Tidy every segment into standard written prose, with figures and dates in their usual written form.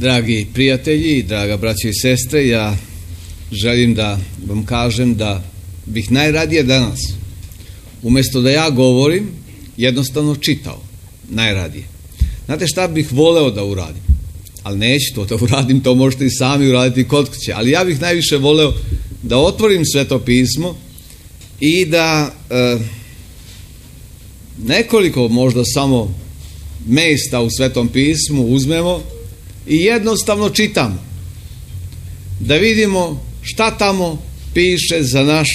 Dragi prijatelji, draga braće i sestre, ja želim da vam kažem da bih najradije danas, umjesto da ja govorim, jednostavno čitao. Najradije. Znate šta bih voleo da uradim? Ali neću to da uradim, to možete i sami uraditi kod kuće. Ali ja bih najviše voleo da otvorim Sveto pismo i da nekoliko možda samo mjesta u Svetom pismu uzmemo i jednostavno čitamo. Da vidimo šta tamo piše za naš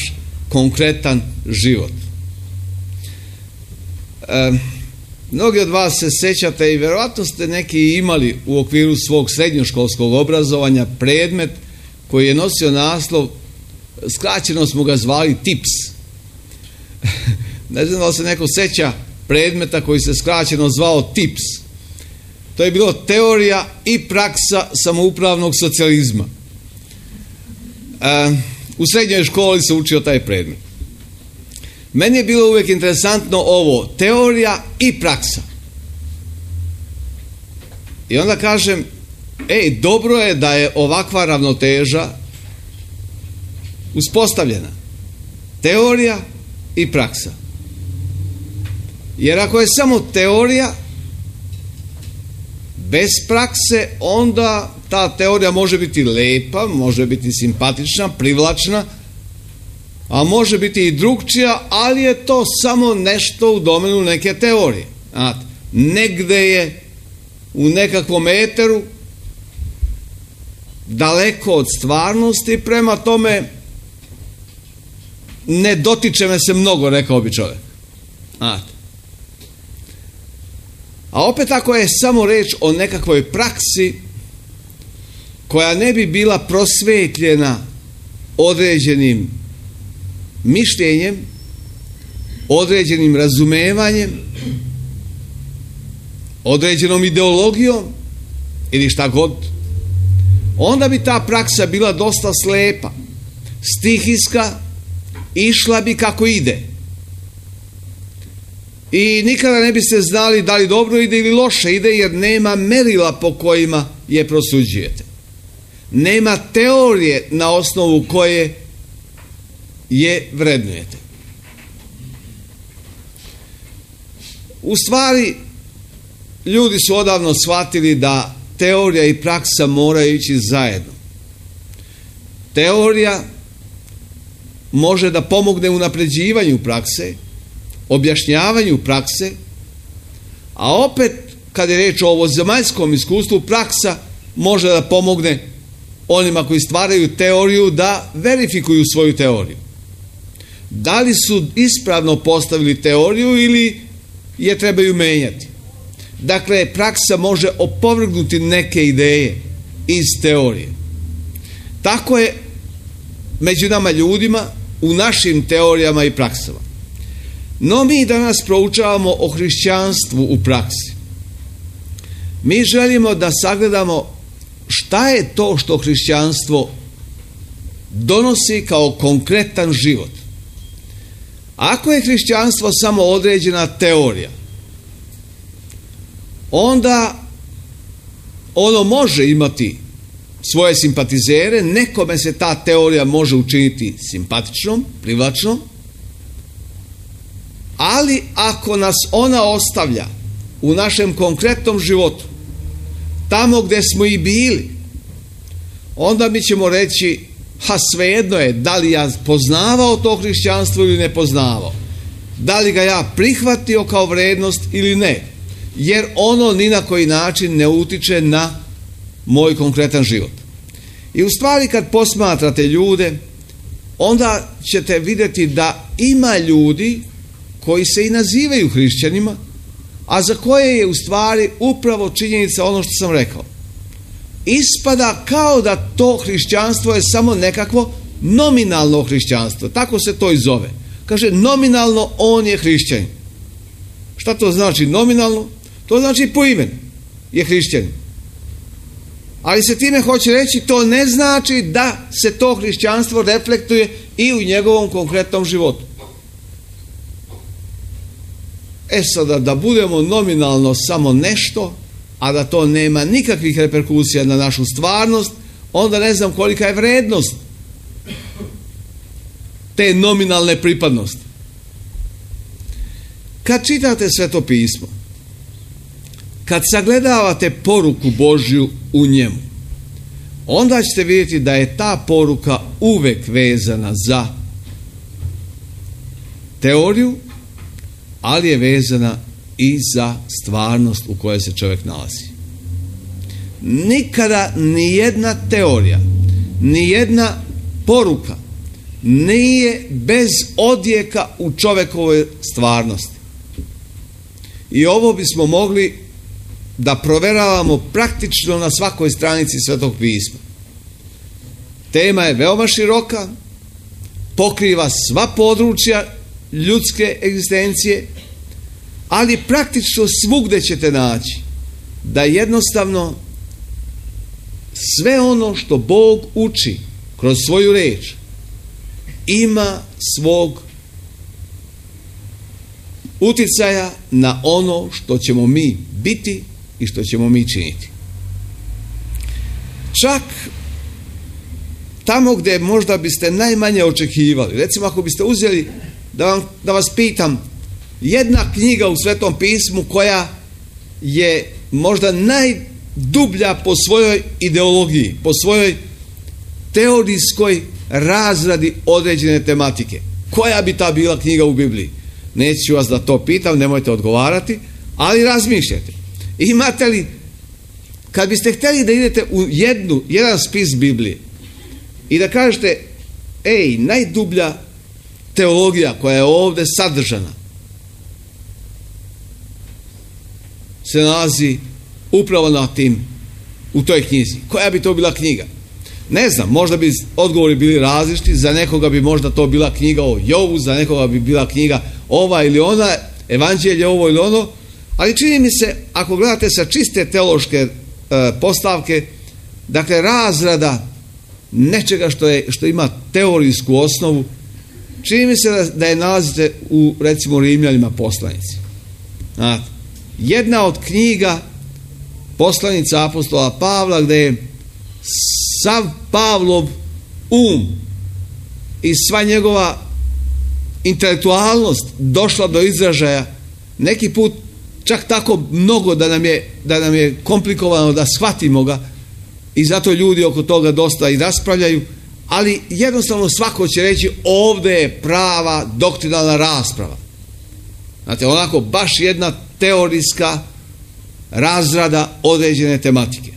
konkretan život. Mnogi od vas se sjećate i vjerojatno ste neki imali u okviru svog srednjoškolskog obrazovanja predmet koji je nosio naslov, skraćeno smo ga zvali TIPS. Ne znam da li se neko sjeća predmeta koji se skraćeno zvao TIPS. To je bilo teorija i praksa samoupravnog socijalizma. U srednjoj školi se učio taj predmet. Meni je bilo uvijek interesantno ovo, teorija i praksa. I onda kažem, dobro je da je ovakva ravnoteža uspostavljena. Teorija i praksa. Jer ako je samo teorija, bez prakse, onda ta teorija može biti lepa, može biti simpatična, privlačna, a može biti i drugčija, ali je to samo nešto u domenu neke teorije. Znate, negde je u nekakvom eteru, daleko od stvarnosti, prema tome ne dotiče me se mnogo, rekao bi čovjek. Znate. A opet ako je samo reč o nekakvoj praksi koja ne bi bila prosvetljena određenim mišljenjem, određenim razumevanjem, određenom ideologijom ili šta god, onda bi ta praksa bila dosta slepa, stihijska, išla bi kako ide. I nikada ne biste znali da li dobro ide ili loše ide, jer nema merila po kojima je prosuđujete. Nema teorije na osnovu koje je vrednujete. U stvari, ljudi su odavno shvatili da teorija i praksa moraju ići zajedno. Teorija može da pomogne u napređivanju prakse, objašnjavanju prakse, a opet, kad je reč o ovozemaljskom iskustvu, praksa može da pomogne onima koji stvaraju teoriju da verifikuju svoju teoriju. Da li su ispravno postavili teoriju ili je trebaju menjati. Dakle, praksa može opovrgnuti neke ideje iz teorije. Tako je među nama ljudima u našim teorijama i praksama. No mi danas proučavamo o hrišćanstvu u praksi. Mi želimo da sagledamo šta je to što hrišćanstvo donosi kao konkretan život. Ako je hrišćanstvo samo određena teorija, onda ono može imati svoje simpatizere, nekome se ta teorija može učiniti simpatičnom, privlačnom, ali ako nas ona ostavlja u našem konkretnom životu, tamo gdje smo i bili, onda mi ćemo reći, svejedno je da li ja poznavao to hrišćanstvo ili ne poznavao. Da li ga ja prihvatio kao vrednost ili ne. Jer ono ni na koji način ne utiče na moj konkretan život. I u stvari kad posmatrate ljude, onda ćete vidjeti da ima ljudi koji se i nazivaju hrišćanima, a za koje je u stvari upravo činjenica ono što sam rekao. Ispada kao da to hrišćanstvo je samo nekakvo nominalno hrišćanstvo. Tako se to i zove. Kaže, nominalno on je hrišćanin. Šta to znači nominalno? To znači po imenu je hrišćanin. Ali se time hoće reći, to ne znači da se to hrišćanstvo reflektuje i u njegovom konkretnom životu. Sada da budemo nominalno samo nešto, a da to nema nikakvih reperkusija na našu stvarnost, onda ne znam kolika je vrednost te nominalne pripadnosti. Kad čitate Sveto pismo, kad sagledavate poruku Božju u njemu, onda ćete vidjeti da je ta poruka uvek vezana za teoriju, ali je vezana i za stvarnost u kojoj se čovjek nalazi. Nikada nijedna teorija, nijedna poruka nije bez odjeka u čovjekovoj stvarnosti. I ovo bismo mogli da proveravamo praktično na svakoj stranici Svetog pisma. Tema je veoma široka, pokriva sva područja ljudske egzistencije, ali praktično svugde ćete naći da jednostavno sve ono što Bog uči kroz svoju reč ima svog uticaja na ono što ćemo mi biti i što ćemo mi činiti. Čak tamo gdje možda biste najmanje očekivali, recimo ako biste uzeli da vas pitam, jedna knjiga u Svetom pismu koja je možda najdublja po svojoj ideologiji, po svojoj teorijskoj razradi određene tematike. Koja bi ta bila knjiga u Bibliji? Neću vas da to pitam, nemojte odgovarati, ali razmišljajte. Imate li, kad biste htjeli da idete u jedan spis Biblije i da kažete, najdublja teologija koja je ovdje sadržana se nalazi upravo u toj knjizi. Koja bi to bila knjiga? Ne znam, možda bi odgovori bili različiti, za nekoga bi možda to bila knjiga o Jovu, za nekoga bi bila knjiga ova ili ona, evanđelje ovo ili ono, ali čini mi se, ako gledate sa čiste teološke postavke, dakle razrada nečega što ima teorijsku osnovu, čini mi se da je nalazite u, recimo, Rimljanima poslanici. Znate, jedna od knjiga poslanica apostola Pavla, gdje je sav Pavlov i sva njegova intelektualnost došla do izražaja, neki put čak tako mnogo da nam je komplikovano da shvatimo ga, i zato ljudi oko toga dosta i raspravljaju, ali jednostavno svako će reći ovdje je prava doktrinalna rasprava. Znate, onako baš jedna teorijska razrada određene tematike.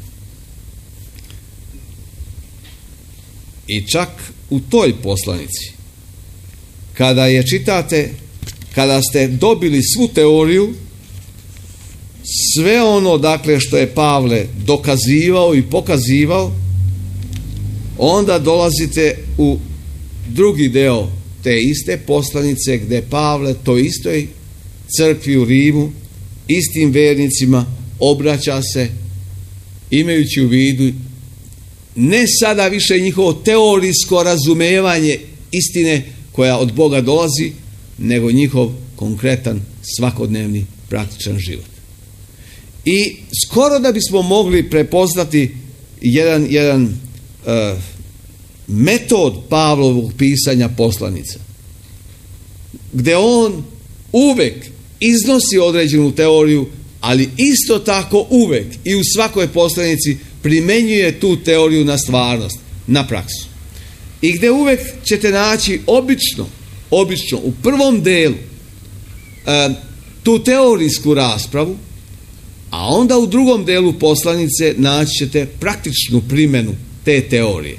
I čak u toj poslanici, kada je čitate, kada ste dobili svu teoriju, sve ono, dakle, što je Pavle dokazivao i pokazivao, onda dolazite u drugi deo te iste poslanice, gdje Pavle toj istoj crkvi u Rimu, istim vernicima obraća se, imajući u vidu ne sada više njihovo teorijsko razumevanje istine koja od Boga dolazi, nego njihov konkretan, svakodnevni, praktičan život. I skoro da bismo mogli prepoznati jedan metod Pavlovog pisanja poslanica, gdje on uvek iznosi određenu teoriju, ali isto tako uvek i u svakoj poslanici primenjuje tu teoriju na stvarnost, na praksu. I gdje uvek ćete naći obično u prvom delu tu teorijsku raspravu, a onda u drugom delu poslanice naći ćete praktičnu primjenu te teorije.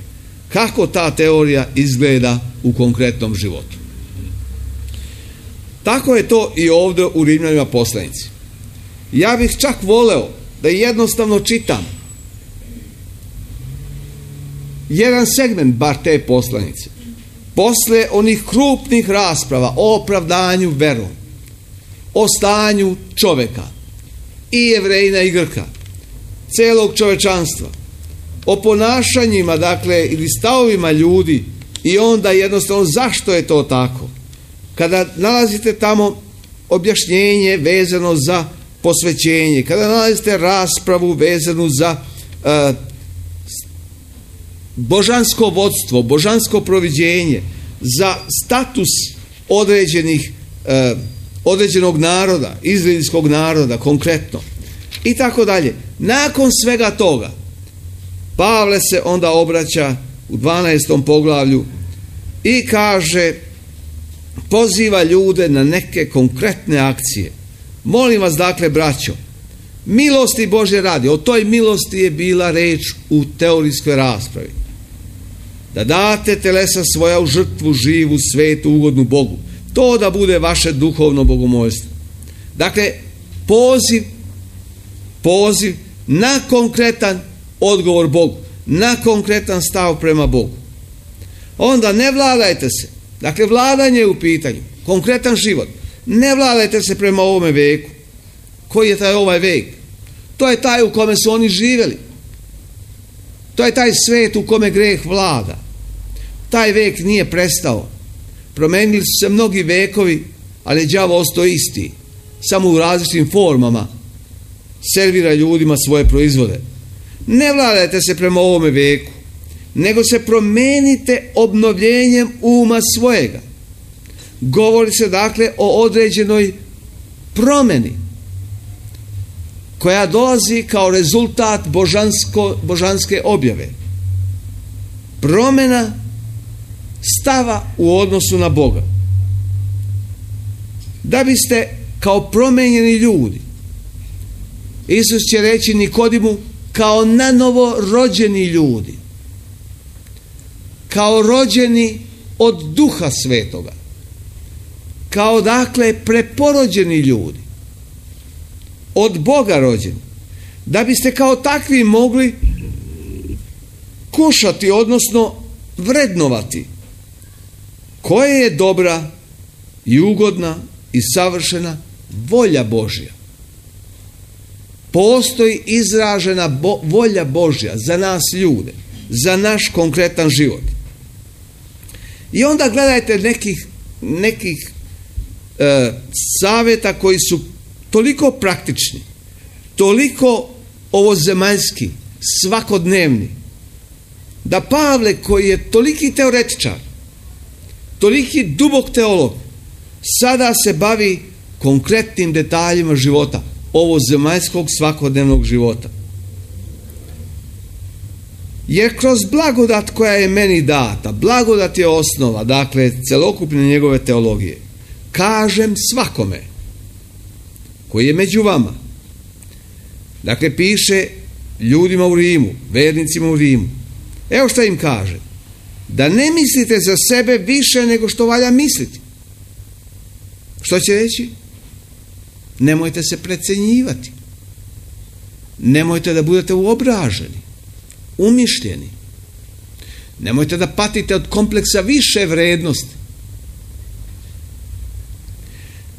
Kako ta teorija izgleda u konkretnom životu. Tako je to i ovdje u Rimljanima poslanici. Ja bih čak voleo da jednostavno čitam jedan segment bar te poslanice. Posle onih krupnih rasprava o opravdanju verom, o stanju čovjeka, i Jevrejina i Grka, celog čovečanstva, o ponašanjima, dakle, ili stavovima ljudi, i onda jednostavno zašto je to tako. Kada nalazite tamo objašnjenje vezano za posvećenje, kada nalazite raspravu vezanu za božansko vodstvo, božansko proviđenje, za status određenog naroda, izraelskog naroda konkretno i tako dalje. Nakon svega toga Pavle se onda obraća u 12. poglavlju i kaže, poziva ljude na neke konkretne akcije. Molim vas dakle, braćo, milosti Božje radi, o toj milosti je bila reč u teorijskoj raspravi, da date telesa svoja u žrtvu živu, svetu, ugodnu Bogu. To da bude vaše duhovno bogomolstvo. Dakle, poziv na konkretan odgovor Bogu, na konkretan stav prema Bogu. Onda ne vladajte se. Dakle, vladanje je u pitanju, konkretan život. Ne vladajte se prema ovome veku. Koji je taj ovaj vek? To je taj u kome su oni živjeli. To je taj svet u kome greh vlada. Taj vek nije prestao. Promenili su se mnogi vekovi, ali je đavo ostao isti. Samo u različitim formama servira ljudima svoje proizvode. Ne vladajte se prema ovome veku, nego se promenite obnovljenjem uma svojega. Govori se dakle o određenoj promjeni koja dolazi kao rezultat božanske objave. Promjena stava u odnosu na Boga. Da biste kao promijenjeni ljudi, Isus će reći Nikodimu, kao nanovo rođeni ljudi, kao rođeni od Duha Svetoga, kao dakle preporođeni ljudi, od Boga rođeni, da biste kao takvi mogli kušati, odnosno vrednovati koja je dobra i ugodna i savršena volja Božja. Postoji izražena volja Božja za nas ljude, za naš konkretan život. I onda gledajte nekih savjeta koji su toliko praktični, toliko ovozemaljski, svakodnevni, da Pavle, koji je toliki teoretičar, toliki dubok teolog, sada se bavi konkretnim detaljima života, ovozemaljskog svakodnevnog života. Jer kroz blagodat koja je meni data, blagodat je osnova, dakle, celokupne njegove teologije, kažem svakome koji je među vama. Dakle, piše ljudima u Rimu, vernicima u Rimu. Evo što im kaže. Da ne mislite za sebe više nego što valja misliti. Što će reći? Nemojte se precenjivati. Nemojte da budete uobraženi, umišljeni. Nemojte da patite od kompleksa više vrednosti.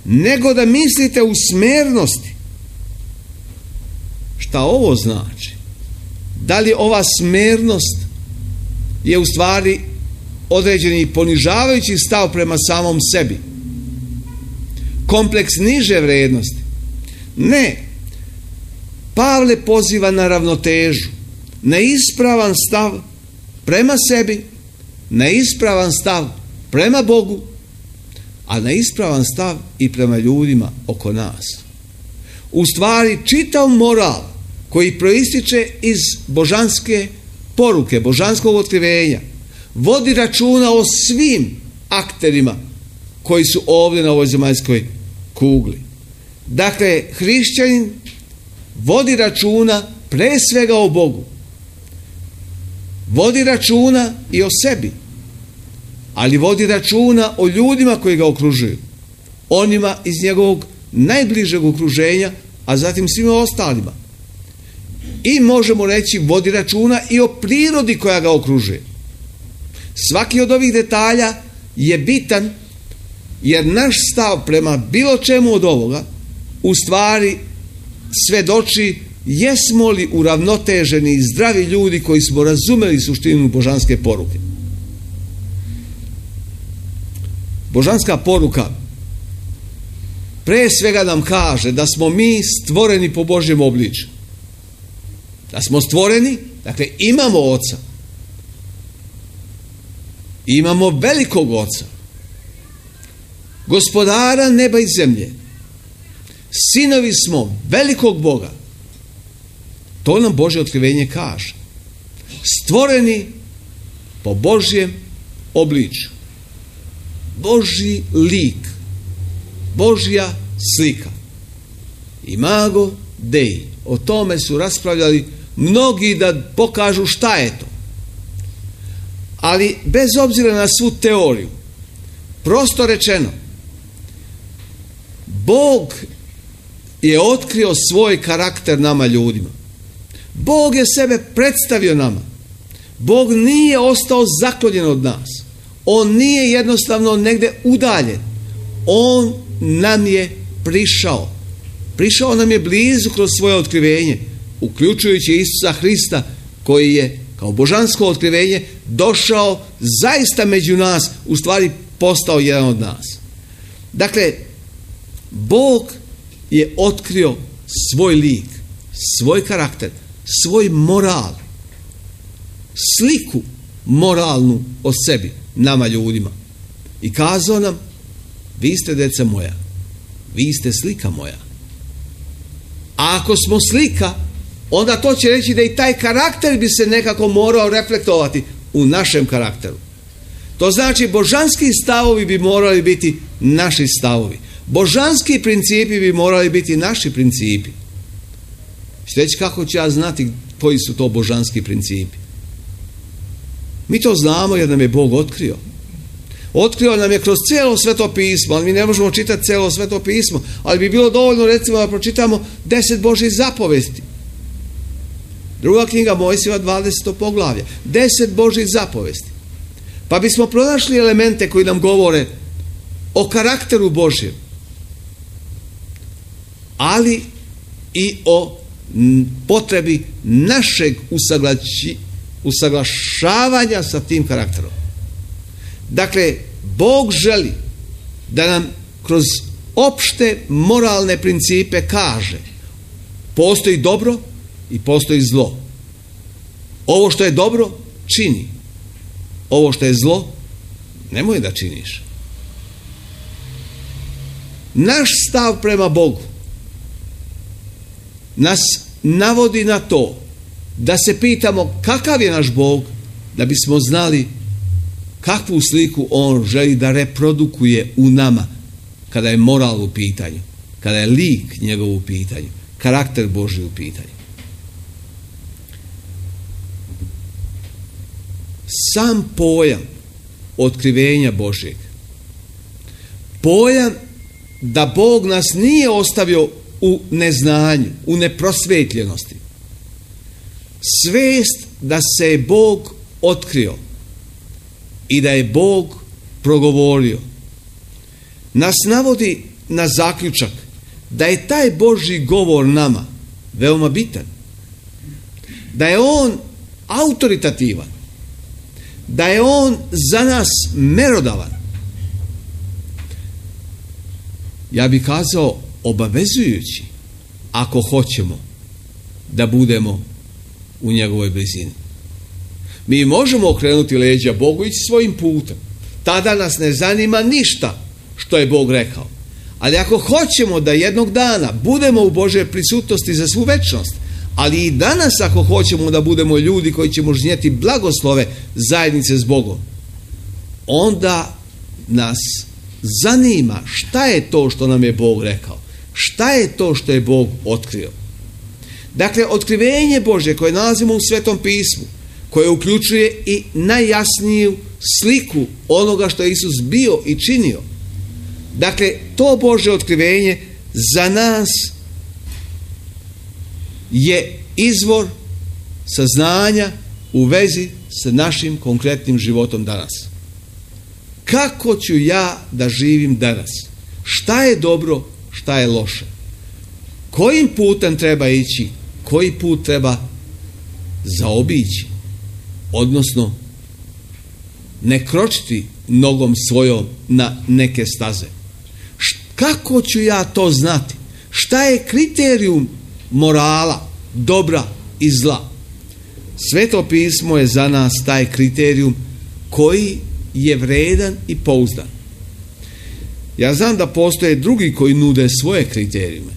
Nego da mislite u smernosti. Šta ovo znači? Da li ova smernost je u stvari određeni ponižavajući stav prema samom sebi? Kompleks niže vrednosti? Ne. Pavle poziva na ravnotežu, na ispravan stav prema sebi, na ispravan stav prema Bogu, a na ispravan stav i prema ljudima oko nas. U stvari čitav moral koji proističe iz božanske poruke, božanskog otkrivenja, vodi računa o svim akterima koji su ovdje na ovoj zemaljskoj kugli. Dakle, hrišćanin vodi računa pre svega o Bogu. Vodi računa i o sebi, ali vodi računa o ljudima koji ga okružuju, onima iz njegovog najbližeg okruženja, a zatim svima ostalima. I možemo reći, vodi računa i o prirodi koja ga okružuje. Svaki od ovih detalja je bitan, jer naš stav prema bilo čemu od ovoga u stvari svedoči jesmo li uravnoteženi i zdravi ljudi koji smo razumeli suštinu božanske poruke. Božanska poruka pre svega nam kaže da smo mi stvoreni po Božjem obličju. Da smo stvoreni, dakle imamo Oca. Imamo velikog Oca. Gospodara neba i zemlje. Sinovi smo velikog Boga. To nam Božje otkrivenje kaže. Stvoreni po Božjem obličju. Božji lik. Božja slika. Imago Dei. O tome su raspravljali mnogi da pokažu šta je to. Ali bez obzira na svu teoriju, prosto rečeno, Bog je otkrio svoj karakter nama ljudima. Bog je sebe predstavio nama. Bog nije ostao zaklonjen od nas. On nije jednostavno negdje udaljen. On nam je prišao. Prišao nam je blizu kroz svoje otkrivenje, uključujući Isusa Hrista, koji je kao božansko otkrivenje došao zaista među nas, u stvari postao jedan od nas. Dakle, Bog je otkrio svoj lik, svoj karakter, svoj moral, sliku moralnu o sebi, nama ljudima. I kazao nam, vi ste deca moja, vi ste slika moja. A ako smo slika, onda to će reći da i taj karakter bi se nekako morao reflektovati u našem karakteru. To znači božanski stavovi bi morali biti naši stavovi. Božanski principi bi morali biti naši principi. Reći, kako ću ja znati koji su to božanski principi? Mi to znamo jer nam je Bog otkrio. Otkrio nam je kroz cijelo Sveto pismo, ali mi ne možemo čitati cijelo Sveto pismo, ali bi bilo dovoljno recimo da pročitamo 10 Božjih zapovesti. Druga knjiga Mojsijeva 20. poglavlje. 10 Božjih zapovesti. Pa bismo pronašli elemente koji nam govore o karakteru Božjem, ali i o potrebi našeg usaglašavanja sa tim karakterom. Dakle, Bog želi da nam kroz opšte moralne principe kaže: postoji dobro i postoji zlo. Ovo što je dobro, čini. Ovo što je zlo, nemoj da činiš. Naš stav prema Bogu nas navodi na to da se pitamo kakav je naš Bog, da bismo znali kakvu sliku On želi da reprodukuje u nama kada je moral u pitanju, kada je lik njegov u pitanju, karakter Božji u pitanju. Sam pojam otkrivenja Božjeg, pojam da Bog nas nije ostavio u neznanju, u neprosvetljenosti, svest da se je Bog otkrio i da je Bog progovorio, nas navodi na zaključak da je taj Božji govor nama veoma bitan, da je on autoritativan, da je on za nas merodavan. Ja bih kazao obavezujući, ako hoćemo da budemo u njegovoj blizini. Mi možemo okrenuti leđa Bogu i ići svojim putem. Tada nas ne zanima ništa što je Bog rekao. Ali ako hoćemo da jednog dana budemo u Božoj prisutnosti za svu večnost, ali i danas ako hoćemo da budemo ljudi koji ćemo žnjeti blagoslove zajednice s Bogom, onda nas zanima šta je to što nam je Bog rekao, šta je to što je Bog otkrio. Dakle, otkrivenje Božje koje nalazimo u Svetom pismu, koje uključuje i najjasniju sliku onoga što je Isus bio i činio. Dakle, to Božje otkrivenje za nas je izvor saznanja u vezi sa našim konkretnim životom danas. Kako ću ja da živim danas? Šta je dobro, šta je loše? Kojim putem treba ići? Koji put treba zaobići? Odnosno, ne kročiti nogom svojom na neke staze. Kako ću ja to znati? Šta je kriterijum morala, dobra i zla? Sveto pismo je za nas taj kriterijum koji je vredan i pouzdan. Ja znam da postoje drugi koji nude svoje kriterijume.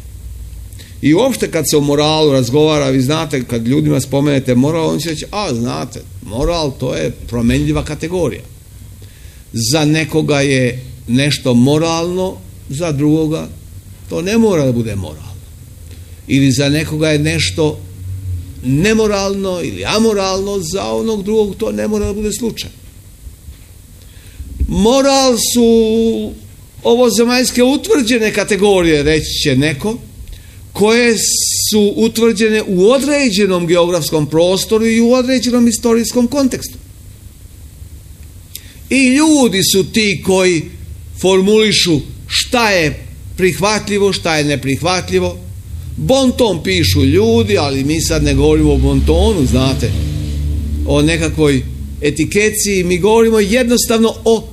I uopšte kad se o moralu razgovara, vi znate, kad ljudima spomenete moral, oni će reći, znate, moral to je promenljiva kategorija. Za nekoga je nešto moralno, za drugoga to ne mora da bude moralno. Ili za nekoga je nešto nemoralno ili amoralno, za onog drugog to ne mora da bude slučaj. Moral su ovozemaljske utvrđene kategorije, reći će neko, koje su utvrđene u određenom geografskom prostoru i u određenom istorijskom kontekstu. I ljudi su ti koji formulišu šta je prihvatljivo, šta je neprihvatljivo. Bonton pišu ljudi, ali mi sad ne govorimo o bontonu, znate, o nekakvoj etikeci, mi govorimo jednostavno o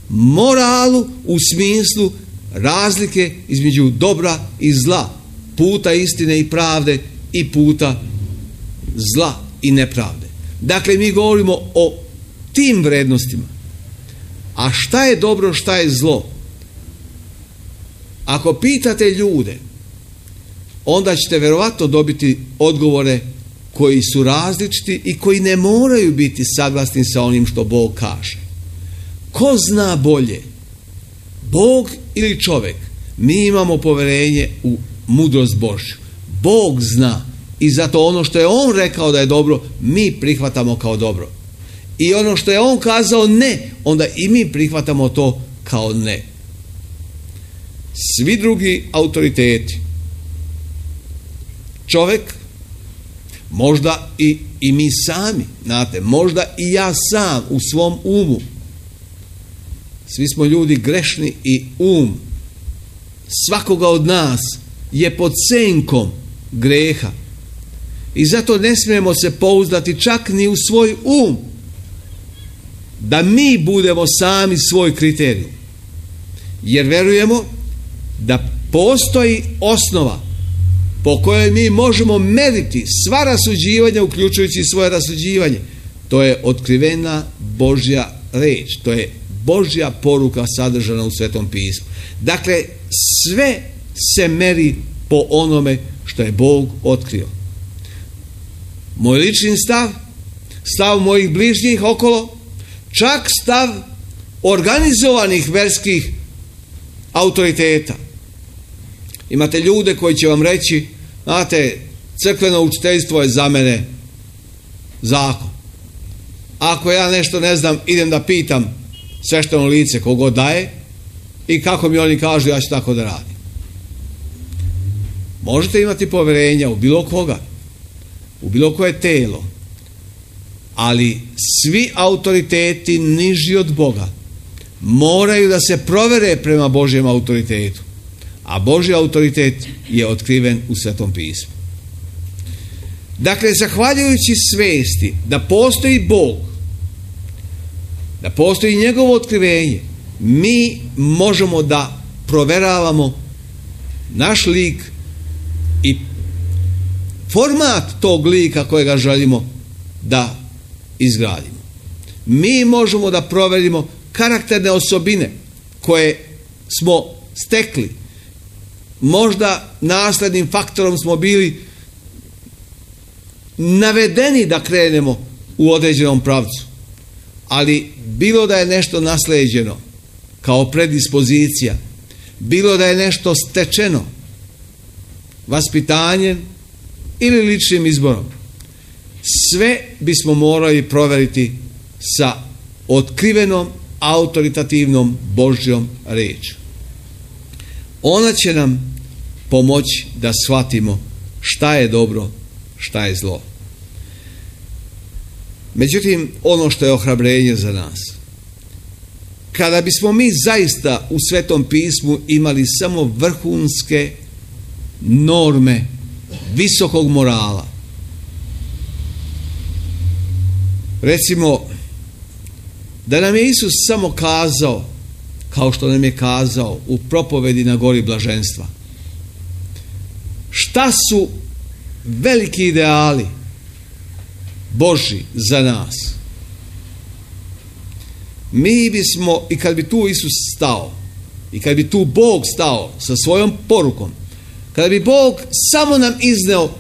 moralu u smislu razlike između dobra i zla, puta istine i pravde i puta zla i nepravde. Dakle, mi govorimo o tim vrednostima. A šta je dobro, šta je zlo? Ako pitate ljude, onda ćete verovatno dobiti odgovore koji su različiti i koji ne moraju biti saglasni sa onim što Bog kaže. Ko zna bolje? Bog ili čovjek? Mi imamo poverenje u mudrost Božju. Bog zna i zato ono što je On rekao da je dobro, mi prihvatamo kao dobro. I ono što je On kazao ne, onda i mi prihvatamo to kao ne. Svi drugi autoriteti, čovjek, možda i mi sami, znate, možda i ja sam u svom umu, svi smo ljudi grešni i svakoga od nas je pod senkom greha i zato ne smijemo se pouzdati čak ni u svoj da mi budemo sami svoj kriterij, jer verujemo da postoji osnova po kojoj mi možemo meriti sva rasuđivanja, uključujući svoje rasuđivanje. To je otkrivena Božja reč, to je Božja poruka sadržana u Svetom pismu. Dakle, sve se meri po onome što je Bog otkrio. Moj lični stav mojih bližnjih okolo, čak stav organizovanih verskih autoriteta. Imate ljude koji će vam reći, znate, crkveno učiteljstvo je za mene zakon. Ako ja nešto ne znam, idem da pitam svešteno lice kogo daje i kako mi oni kažu, ja ću tako da radim. Možete imati poverenja u bilo koga, u bilo koje telo, ali svi autoriteti niži od Boga moraju da se provere prema Božjem autoritetu, a Božji autoritet je otkriven u Svetom pismu. Dakle, zahvaljujući svesti da postoji Bog, da postoji njegovo otkrivenje, mi možemo da proveravamo naš lik i format tog lika kojega želimo da izgradimo. Mi možemo da proverimo karakterne osobine koje smo stekli. Možda naslednim faktorom smo bili navedeni da krenemo u određenom pravcu. Ali bilo da je nešto nasleđeno kao predispozicija, bilo da je nešto stečeno vaspitanjem ili ličnim izborom, sve bismo morali proveriti sa otkrivenom autoritativnom Božjom rečju. Ona će nam pomoći da shvatimo šta je dobro, šta je zlo. Međutim, ono što je ohrabrenje za nas, kada bismo mi zaista u Svetom pismu imali samo vrhunske norme visokog morala, recimo da nam je Isus samo kazao kao što nam je kazao u propovedi na gori blaženstva. Šta su veliki ideali Božji za nas? Mi bismo, i kad bi tu Isus stao, i kad bi tu Bog stao sa svojom porukom, kada bi Bog samo nam izneo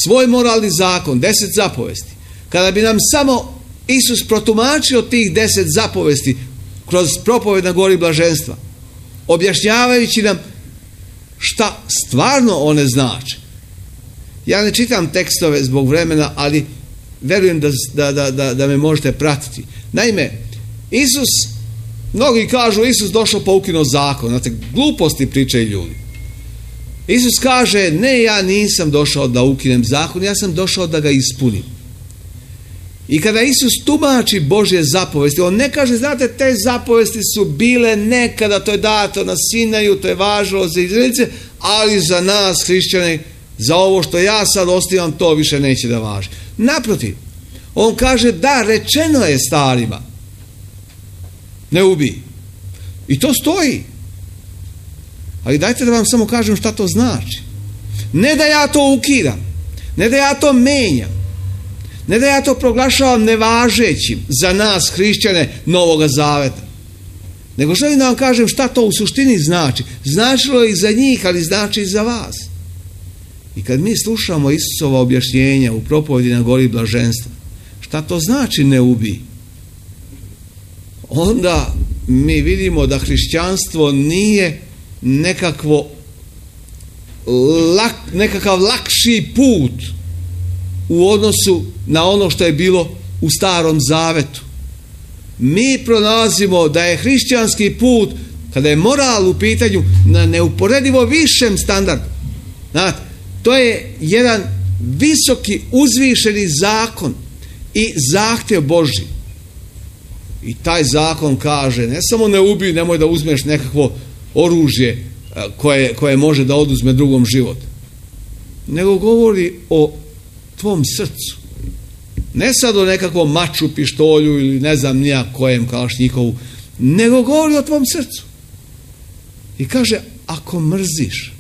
svoj moralni zakon, 10 zapovesti, kada bi nam samo Isus protumačio tih 10 zapovesti kroz propoved na gori blaženstva, objašnjavajući nam šta stvarno one znače. Ja ne čitam tekstove zbog vremena, ali verujem da me možete pratiti. Naime, Isus, mnogi kažu Isus došao pa ukinuo zakon. Znate, gluposti pričaju ljudi. Isus kaže, ne, ja nisam došao da ukinem zakon, ja sam došao da ga ispunim. I kada Isus tumači Božje zapovesti, on ne kaže, znate, te zapovesti su bile nekada, to je dato na Sinaju, to je važilo za Izraelce, ali za nas, hrišćane, za ovo što ja sad ostavljam, to više neće da važi. Naprotiv, on kaže, da, rečeno je starima, ne ubij. I to stoji. Ali dajte da vam samo kažem šta to znači. Ne da ja to ukidam, ne da ja to menjam, ne da ja to proglašavam nevažećim za nas, hrišćane, Novoga Zaveta, nego želim da vam kažem šta to u suštini znači. Značilo je i za njih, ali znači i za vas. I kad mi slušamo Isusova objašnjenja u propovedi na gori blaženstva, šta to znači ne ubij, onda mi vidimo da hrišćanstvo nije nekakav lakši put u odnosu na ono što je bilo u Starom Zavetu. Mi pronalazimo da je hrišćanski put, kada je moral u pitanju, na neuporedivo višem standardu. Znate, to je jedan visoki, uzvišeni zakon i zahtjev Božji. I taj zakon kaže, ne samo ne ubij, nemoj da uzmeš nekakvo oružje koje može da oduzme drugom život, nego govori o tvom srcu. Ne sad o nekakvom maču, pištolju ili ne znam nija kojem kalašnjikovu, nego govori o tvom srcu. I kaže, ako mrziš,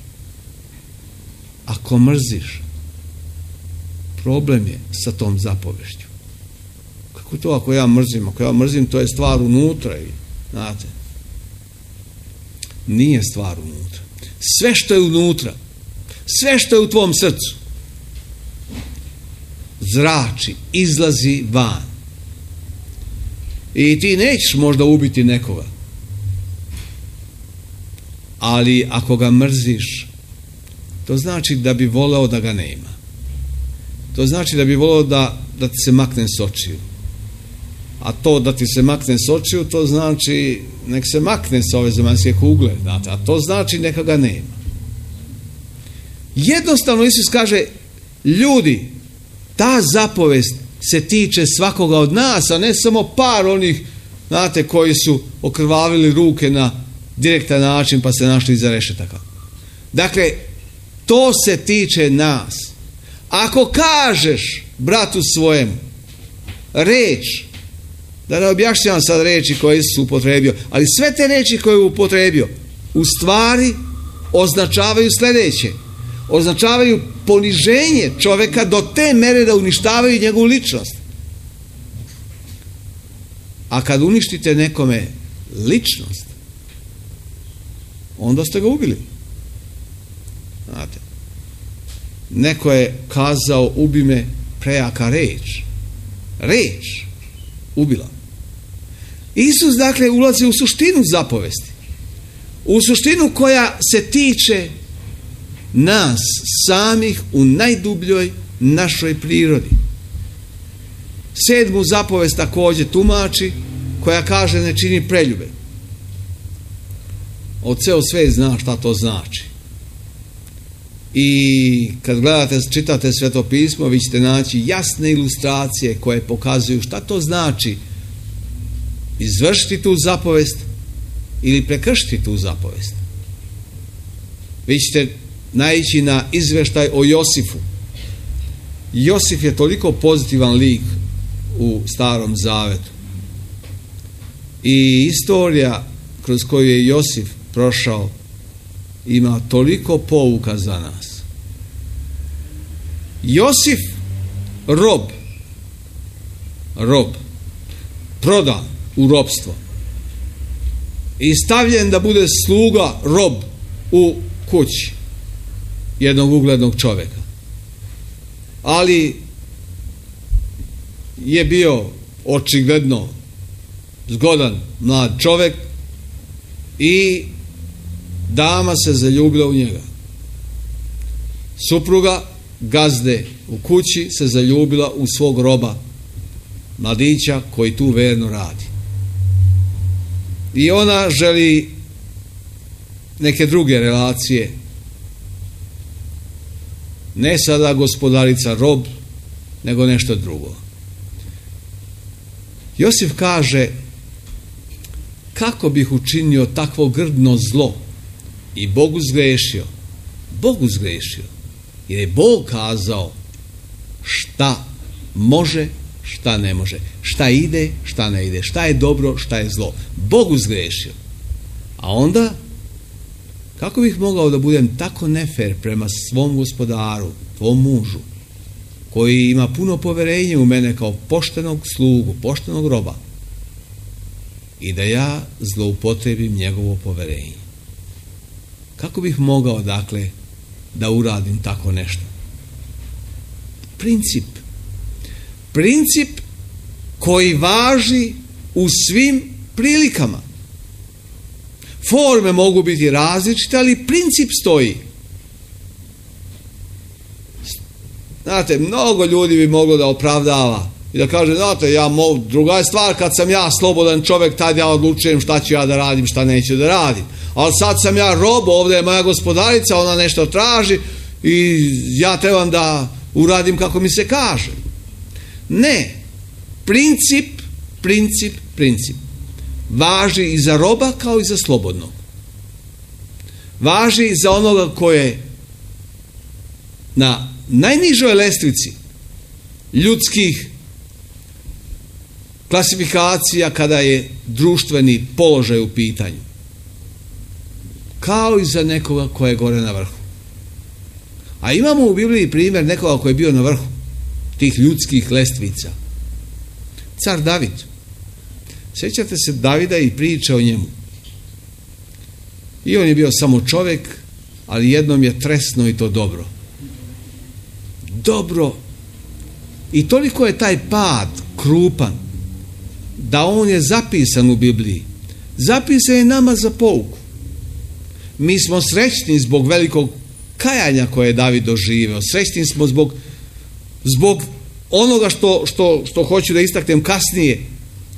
problem je sa tom zapovešću. Kako to ako ja mrzim? Ako ja mrzim, to je stvar unutra. Znate, nije stvar unutra. Sve što je unutra, sve što je u tvom srcu, zrači, izlazi van. I ti nećeš možda ubiti nekoga, ali ako ga mrziš, to znači da bi voleo da ga nema. To znači da bi voleo da ti se makne s očiju. A to da ti se makne s očiju, to znači nek se makne s ove zemaljske kugle. Znate, a to znači neka ga nema. Jednostavno Isus kaže, ljudi, ta zapovest se tiče svakoga od nas, a ne samo par onih, znate, koji su okrvavili ruke na direktan način pa se našli iza rešetaka. Dakle, to se tiče nas. Ako kažeš bratu svojemu reč, da ne objašnjavam sad reči koje su upotrebio, ali sve te reči koje je upotrebio u stvari označavaju sljedeće. Označavaju poniženje čovjeka do te mere da uništavaju njegovu ličnost. A kad uništite nekome ličnost, onda ste ga ubili. Znate, neko je kazao, ubi me prejaka reč. Reč ubila. Isus dakle ulazi u suštinu zapovesti. U suštinu koja se tiče nas samih u najdubljoj našoj prirodi. 7. zapovest također tumači, koja kaže ne čini preljube. Od ceo svet zna šta to znači. I kad gledate, čitate Sveto pismo, vi ćete naći jasne ilustracije koje pokazuju šta to znači izvršiti tu zapovest ili prekršiti tu zapovest. Vi ćete naići na izveštaj o Josifu. Josif je toliko pozitivan lik u Starom Zavetu. I istorija kroz koju je Josif prošao ima toliko pouka za nas. Josif, rob, prodan u ropstvo i stavljen da bude sluga, rob u kući jednog uglednog čovjeka. Ali je bio očigledno zgodan mlad čovjek i dama se zaljubila u njega. Supruga gazde u kući se zaljubila u svog roba, mladića koji tu verno radi. I ona želi neke druge relacije. Ne sada gospodarica rob, nego nešto drugo. Josif kaže, kako bih učinio takvo grdno zlo i Bogu zgrešio, jer je Bog kazao šta može, šta ne može, šta ide, šta ne ide, šta je dobro, šta je zlo. Bogu zgrešio. A onda, kako bih mogao da budem tako nefer prema svom gospodaru, tvom mužu, koji ima puno poverenja u mene kao poštenog slugu, poštenog roba, i da ja zloupotrebim njegovo poverenje? Kako bih mogao, dakle, da uradim tako nešto? Princip koji važi u svim prilikama. Forme mogu biti različite, ali princip stoji. Znate, mnogo ljudi bi moglo da opravdava i da kaže, znate, druga je stvar kad sam ja slobodan čovjek, tad ja odlučujem šta ću ja da radim, šta neću da radim. Ali sad sam ja rob, ovdje je moja gospodarica, ona nešto traži i ja trebam da uradim kako mi se kaže. Ne. Princip. Važi i za roba kao i za slobodnog. Važi i za onoga koje na najnižoj lestvici ljudskih klasifikacija kada je društveni položaj u pitanju. Kao i za nekoga koje je gore na vrhu. A imamo u Bibliji primjer nekoga koji je bio na vrhu tih ljudskih lestvica. Car David. Sjećate se Davida i priče o njemu. I on je bio samo čovjek, ali jednom je tresno i to dobro. I toliko je taj pad krupan da on je zapisan u Bibliji. Zapisan je nama za pouku. Mi smo srećni zbog velikog kajanja koje je David doživio. Srećni smo zbog onoga što hoću da istaknem kasnije,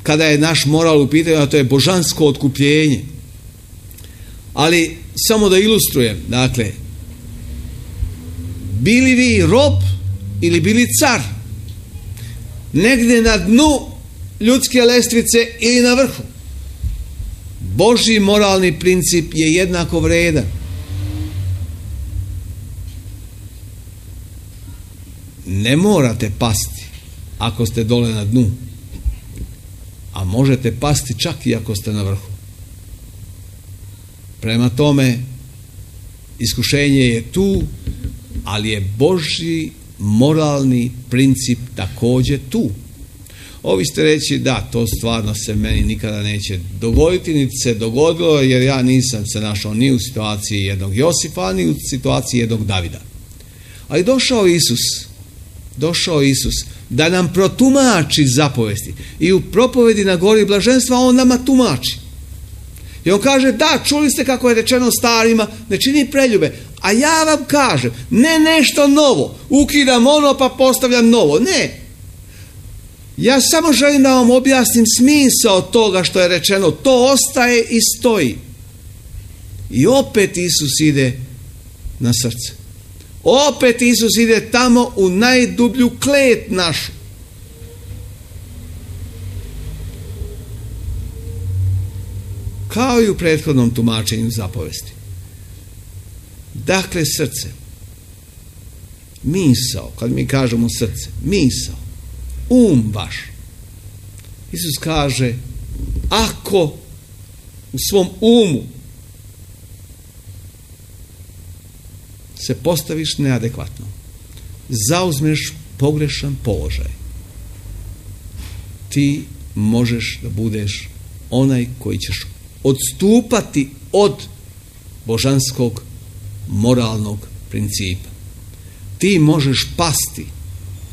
kada je naš moral u pitanju, a to je božansko otkupljenje. Ali samo da ilustrujem, dakle, bili vi rob ili bili car, negdje na dnu ljudske lestvice ili na vrhu, Božji moralni princip je jednako vredan. Ne morate pasti ako ste dole na dnu, a možete pasti čak i ako ste na vrhu. Prema tome, iskušenje je tu, ali je Božji moralni princip također tu. Ovi ste reći, da, to stvarno se meni nikada neće dogoditi, niti se dogodilo, jer ja nisam se našao ni u situaciji jednog Josifa, ni u situaciji jednog Davida. Ali došao Isus da nam protumači zapovesti. I u propovedi na gori blaženstva on nama tumači. I on kaže, da, čuli ste kako je rečeno starima, ne čini preljube. A ja vam kažem, ne nešto novo, ukidam ono pa postavljam novo. Ne. Ja samo želim da vam objasnim smisao toga što je rečeno. To ostaje i stoji. I opet Isus ide na srce. Opet Isus ide tamo u najdublju klet našu. Kao i u prethodnom tumačenju zapovesti. Dakle, srce. Misao, kad mi kažemo srce, misao, vaš. Isus kaže, ako u svom umu se postaviš neadekvatno, zauzmeš pogrešan položaj, ti možeš da budeš onaj koji ćeš odstupati od božanskog moralnog principa. Ti možeš pasti,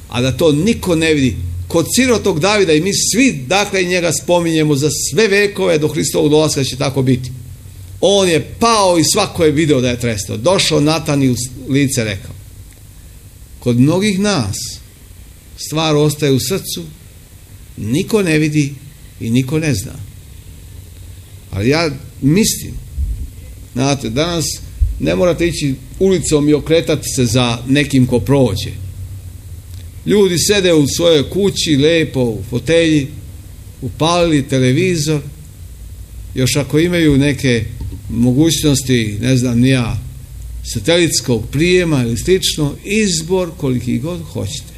a da to niko ne vidi. Kod sirotog Davida, i mi svi dakle njega spominjemo za sve vekove do Hristovog dolaska će tako biti. On je pao i svako je video da je trestao. Došao Natan i u lice rekao. Kod mnogih nas stvar ostaje u srcu, niko ne vidi i niko ne zna. Ali ja mislim, znate, danas ne morate ići ulicom i okretati se za nekim ko prođe. Ljudi sede u svojoj kući, lepo u fotelji, upalili televizor, još ako imaju neke mogućnosti, ne znam ni ja, satelitskog prijema ili slično, izbor koliki god hoćete,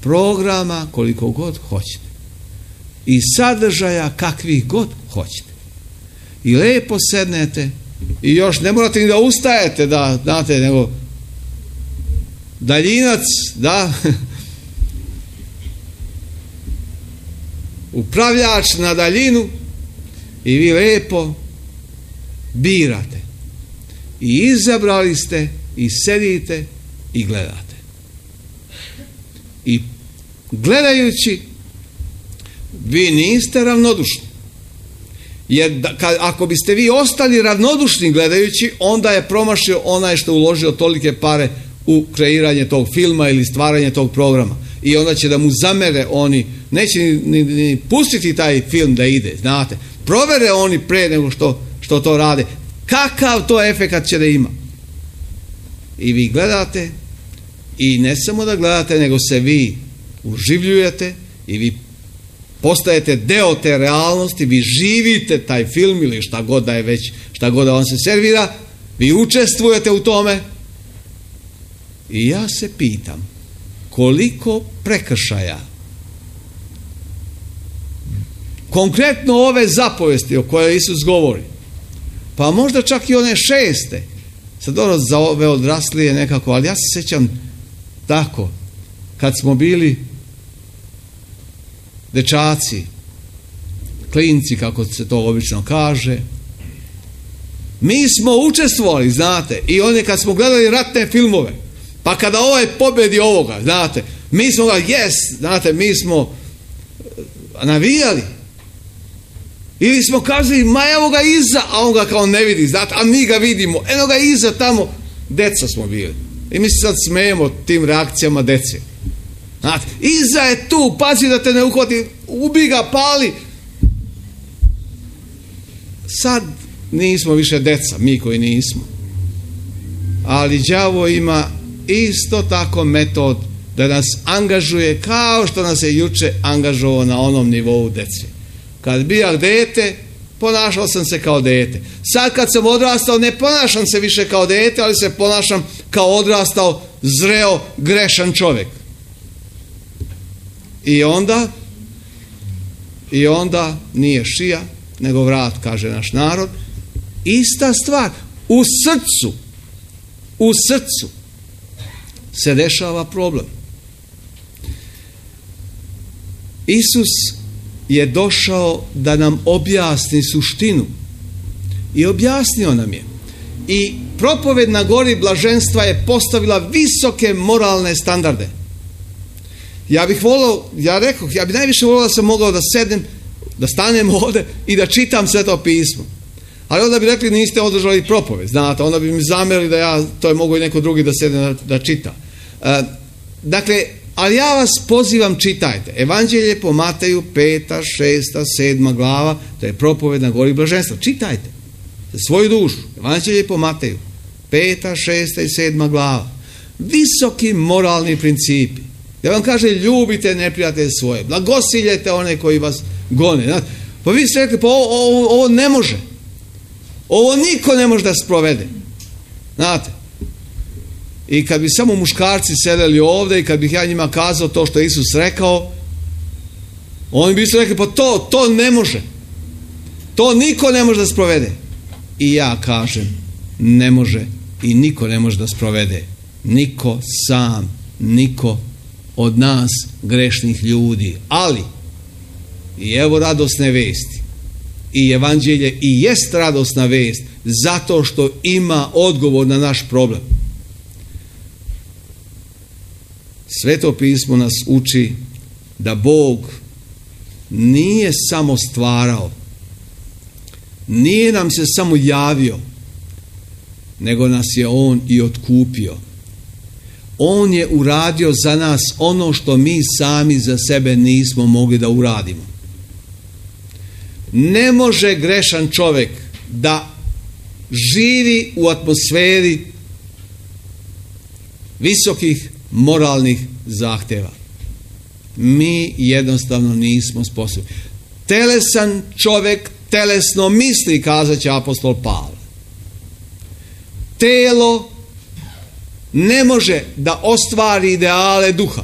programa koliko god hoćete i sadržaja kakvih god hoćete. I lepo sednete i još ne morate ni da ustajete, da znate, nego daljinac, da, upravljač na daljinu i vi lepo birate. I izabrali ste i sedite i gledate. I gledajući vi niste ravnodušni. Jer ako biste vi ostali ravnodušni gledajući, onda je promašio onaj što uložio tolike pare u kreiranje tog filma ili stvaranje tog programa. I onda će da mu zamere oni, neće ni pustiti taj film da ide, znate. Provere oni pre nego što to rade. Kakav to efekat će da ima? I vi gledate i ne samo da gledate, nego se vi uživljujete i vi postajete deo te realnosti, vi živite taj film ili šta god da je već, šta god da vam se servira, vi učestvujete u tome. I ja se pitam koliko prekršaja konkretno ove zapovesti o kojoj Isus govori, pa možda čak i one 6. sad ono za ove odraslije nekako, ali ja se sjećam tako kad smo bili dečaci, klinci kako se to obično kaže, mi smo učestvovali, znate, i one kad smo gledali ratne filmove, pa kada ovaj pobedi ovoga, znate, mi smo ga, znate, mi smo navijali. Ili smo kazali, ma evo ga iza, a on ga kao ne vidi, znate, a mi ga vidimo, eno ga iza tamo, deca smo bili. I mi se sad smejemo tim reakcijama dece. Znate, iza je tu, pazi da te ne uhvati, ubi ga, pali. Sad nismo više deca, mi koji nismo. Ali đavo ima isto tako metod da nas angažuje kao što nas je juče angažovao na onom nivou dece. Kad bijah dete, ponašao sam se kao dete. Sad kad sam odrastao, ne ponašam se više kao dete, ali se ponašam kao odrastao, zreo, grešan čovjek. I onda nije šija, nego vrat, kaže naš narod. Ista stvar, u srcu se dešava problem. Isus je došao da nam objasni suštinu. I objasnio nam je. I propoved na gori blaženstva je postavila visoke moralne standarde. Ja bih najviše volio da sam mogao da sednem, da stanem ovdje i da čitam Sveto pismo. Ali onda bi rekli niste održali propoved, znate, onda bi mi zamerili da to je mogo i neko drugi da sedne da čita. Dakle, ali ja vas pozivam, čitajte. Evanđelje po Mateju, 5., 6., 7. glava, to je propoved na gori blaženstva. Čitajte za svoju dušu. Evanđelje po Mateju, 5., 6. i 7. glava. Visoki moralni principi. Da vam kaže, ljubite neprijatelje svoje, blagosiljete one koji vas gone. Znate, pa vi ste rekli, pa ovo ne može. Ovo niko ne može da sprovede. Znate, i kad bi samo muškarci sedeli ovdje i kad bih ja njima kazao to što je Isus rekao, oni bi se rekli, pa to ne može. To niko ne može da sprovede. I ja kažem, ne može i niko ne može da sprovede. Niko sam, niko od nas grešnih ljudi. Ali, i evo radosne vesti. I evanđelje i jest radosna vest zato što ima odgovor na naš problem. Sveto pismo nas uči da Bog nije samo stvarao, nije nam se samo javio, nego nas je On i otkupio. On je uradio za nas ono što mi sami za sebe nismo mogli da uradimo. Ne može grešan čovjek da živi u atmosferi visokih moralnih zahtjeva. Mi jednostavno nismo sposobni. Telesan čovjek telesno misli, kazat će apostol Pavle. Telo ne može da ostvari ideale duha.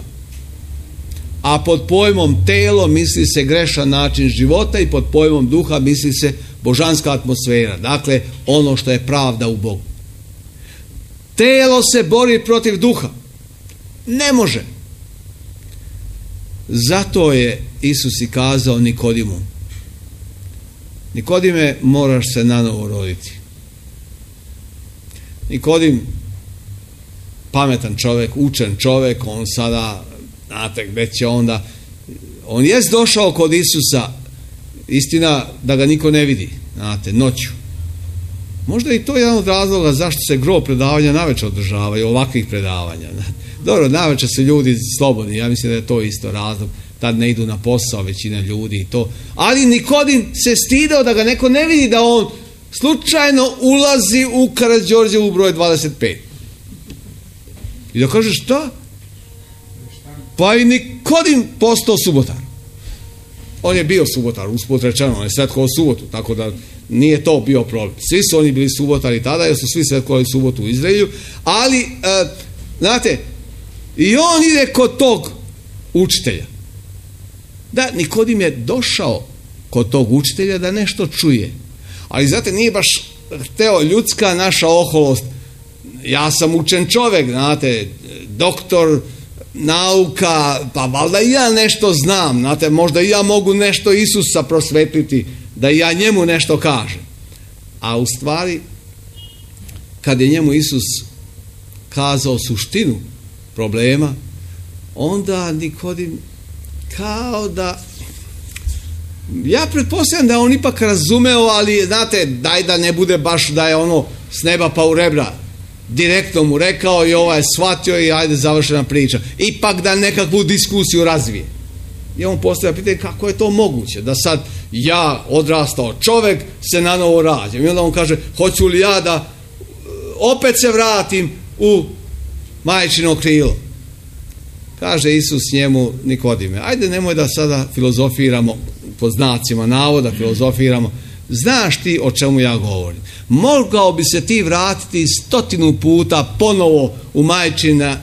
A pod pojmom telo misli se grešan način života i pod pojmom duha misli se božanska atmosfera. Dakle, ono što je pravda u Bogu. Telo se bori protiv duha. Ne može. Zato je Isus i kazao Nikodimu: Nikodime, moraš se nanovo roditi. Nikodim, pametan čovjek, učen čovjek, on sada, znate, gdje će onda, on jest došao kod Isusa, istina da ga niko ne vidi, znate, noću. Možda i to je jedan od razloga zašto se gro predavanja navečer održavaju, ovakvih predavanja. Dobro, navečer su ljudi slobodni, ja mislim da je to isto razlog, tad ne idu na posao većina ljudi i to. Ali Nikodim se stidao da ga neko ne vidi, da on slučajno ulazi u Karađorđevu broj 25. I da kaže šta? Pa i Nikodim postao subotar. On je bio subotar, usput rečeno, on je svetkovao subotu, tako da nije to bio problem. Svi su oni bili subotari tada, jer su svi svetkovali subotu u Izraelju, ali, znate, i on ide kod tog učitelja. Da, Nikodim je došao kod tog učitelja da nešto čuje. Ali, znate, nije baš hteo ljudska naša oholost. Ja sam učen čovjek, znate, doktor nauka, pa valjda i ja nešto znam, znate, možda i ja mogu nešto Isusa prosvetliti, da i ja njemu nešto kažem. A u stvari, kad je njemu Isus kazao suštinu problema, onda Nikodim kao da, ja pretpostavljam da on ipak razumeo, ali znate, daj da ne bude baš da je ono s neba pa u rebra. Direktno mu rekao i ovaj shvatio i ajde završena priča. Ipak da nekakvu diskusiju razvije. I on postavlja pitanje kako je to moguće da sad ja odrastao čovjek se na novo rađam. I onda on kaže hoću li ja da opet se vratim u majčino krilo. Kaže Isus njemu Nikodime, ajde nemoj da sada filozofiramo, po znacima navoda filozofiramo, znaš ti o čemu ja govorim. Mogao bi se ti vratiti 100 puta ponovo u majčina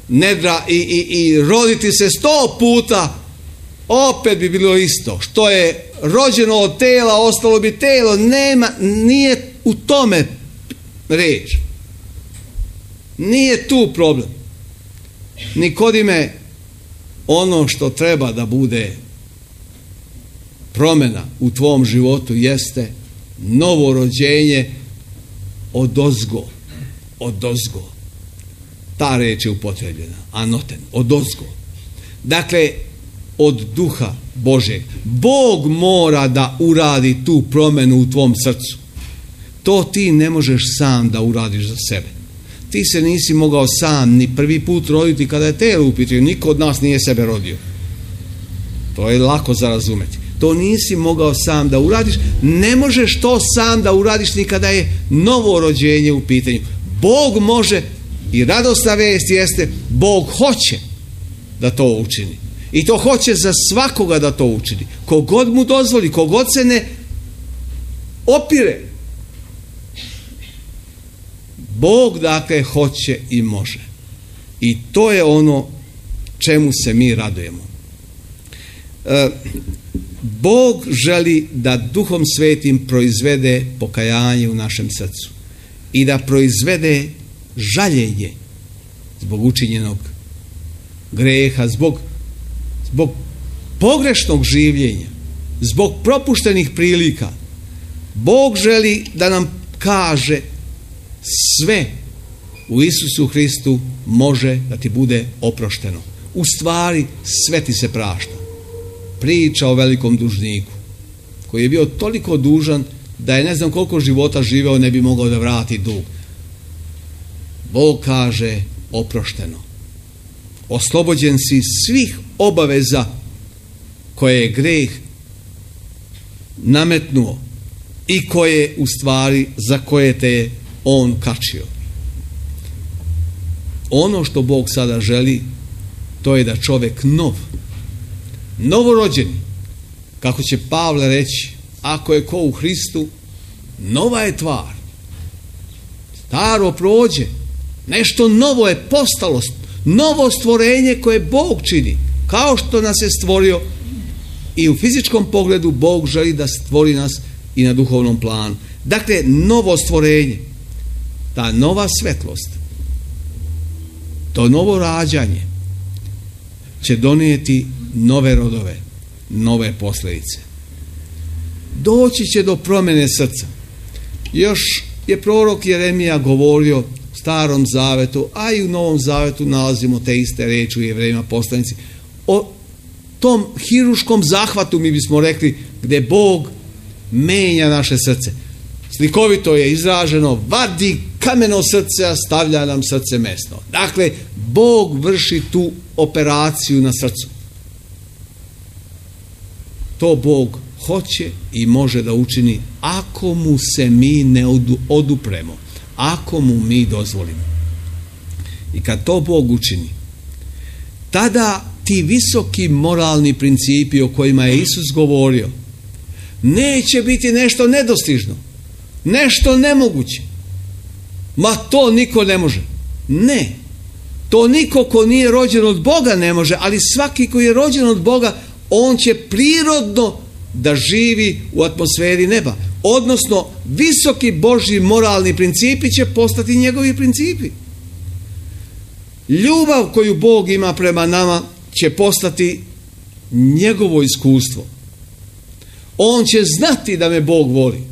nedra i roditi se 100 puta, opet bi bilo isto. Što je rođeno od tela, ostalo bi telo. Nije u tome reč. Nije tu problem. Nikodime, ono što treba da bude promjena u tvom životu jeste novo rođenje odozgo. Odozgo. Ta reč je upotrebljena. Anoten. Odozgo. Dakle, od duha Božeg. Bog mora da uradi tu promjenu u tvom srcu. To ti ne možeš sam da uradiš za sebe. Ti se nisi mogao sam ni prvi put roditi kada je telo u pitanju. Niko od nas nije sebe rodio. To je lako za razumeti. To nisi mogao sam da uradiš. Ne možeš to sam da uradiš ni kada je novo rođenje u pitanju. Bog može, i radosna vijest jeste, Bog hoće da to učini. I to hoće za svakoga da to učini. Kogod mu dozvoli, kogod se ne opire. Bog dakle hoće i može. I to je ono čemu se mi radujemo. Bog želi da Duhom Svetim proizvede pokajanje u našem srcu i da proizvede žaljenje zbog učinjenog greha, zbog pogrešnog življenja, zbog propuštenih prilika. Bog želi da nam kaže sve u Isusu Hristu može da ti bude oprošteno. U stvari sve ti se prašta. Priča o velikom dužniku koji je bio toliko dužan da je ne znam koliko života živeo ne bi mogao da vrati dug. Bog kaže oprošteno. Oslobođen si svih obaveza koje je greh nametnuo i koje u stvari za koje te je on kačio. Ono što Bog sada želi, to je da čovjek novorođeni, kako će Pavle reći, ako je ko u Hristu, nova je tvar. Staro prođe, nešto novo je postalo, novo stvorenje koje Bog čini, kao što nas je stvorio i u fizičkom pogledu. Bog želi da stvori nas i na duhovnom planu. Dakle, novo stvorenje, ta nova svetlost, to novo rađanje će donijeti nove rodove, nove posljedice. Doći će do promjene srca. Još je prorok Jeremija govorio u Starom Zavetu, a i u Novom Zavetu nalazimo te iste riječi u Jevrejima poslanici, o tom hiruškom zahvatu, mi bismo rekli, gdje Bog menja naše srce. Slikovito je izraženo, vadi kameno srce, a stavlja nam srce mesno. Dakle, Bog vrši tu operaciju na srcu. To Bog hoće i može da učini ako mu se mi ne odupremo, ako mu mi dozvolimo. I kad to Bog učini, tada ti visoki moralni principi o kojima je Isus govorio neće biti nešto nedostižno, nešto nemoguće. Ma to niko ne može. Ne. To niko ko nije rođen od Boga ne može, ali svaki koji je rođen od Boga, on će prirodno da živi u atmosferi neba. Odnosno, visoki Božji moralni principi će postati njegovi principi. Ljubav koju Bog ima prema nama će postati njegovo iskustvo. On će znati da me Bog voli.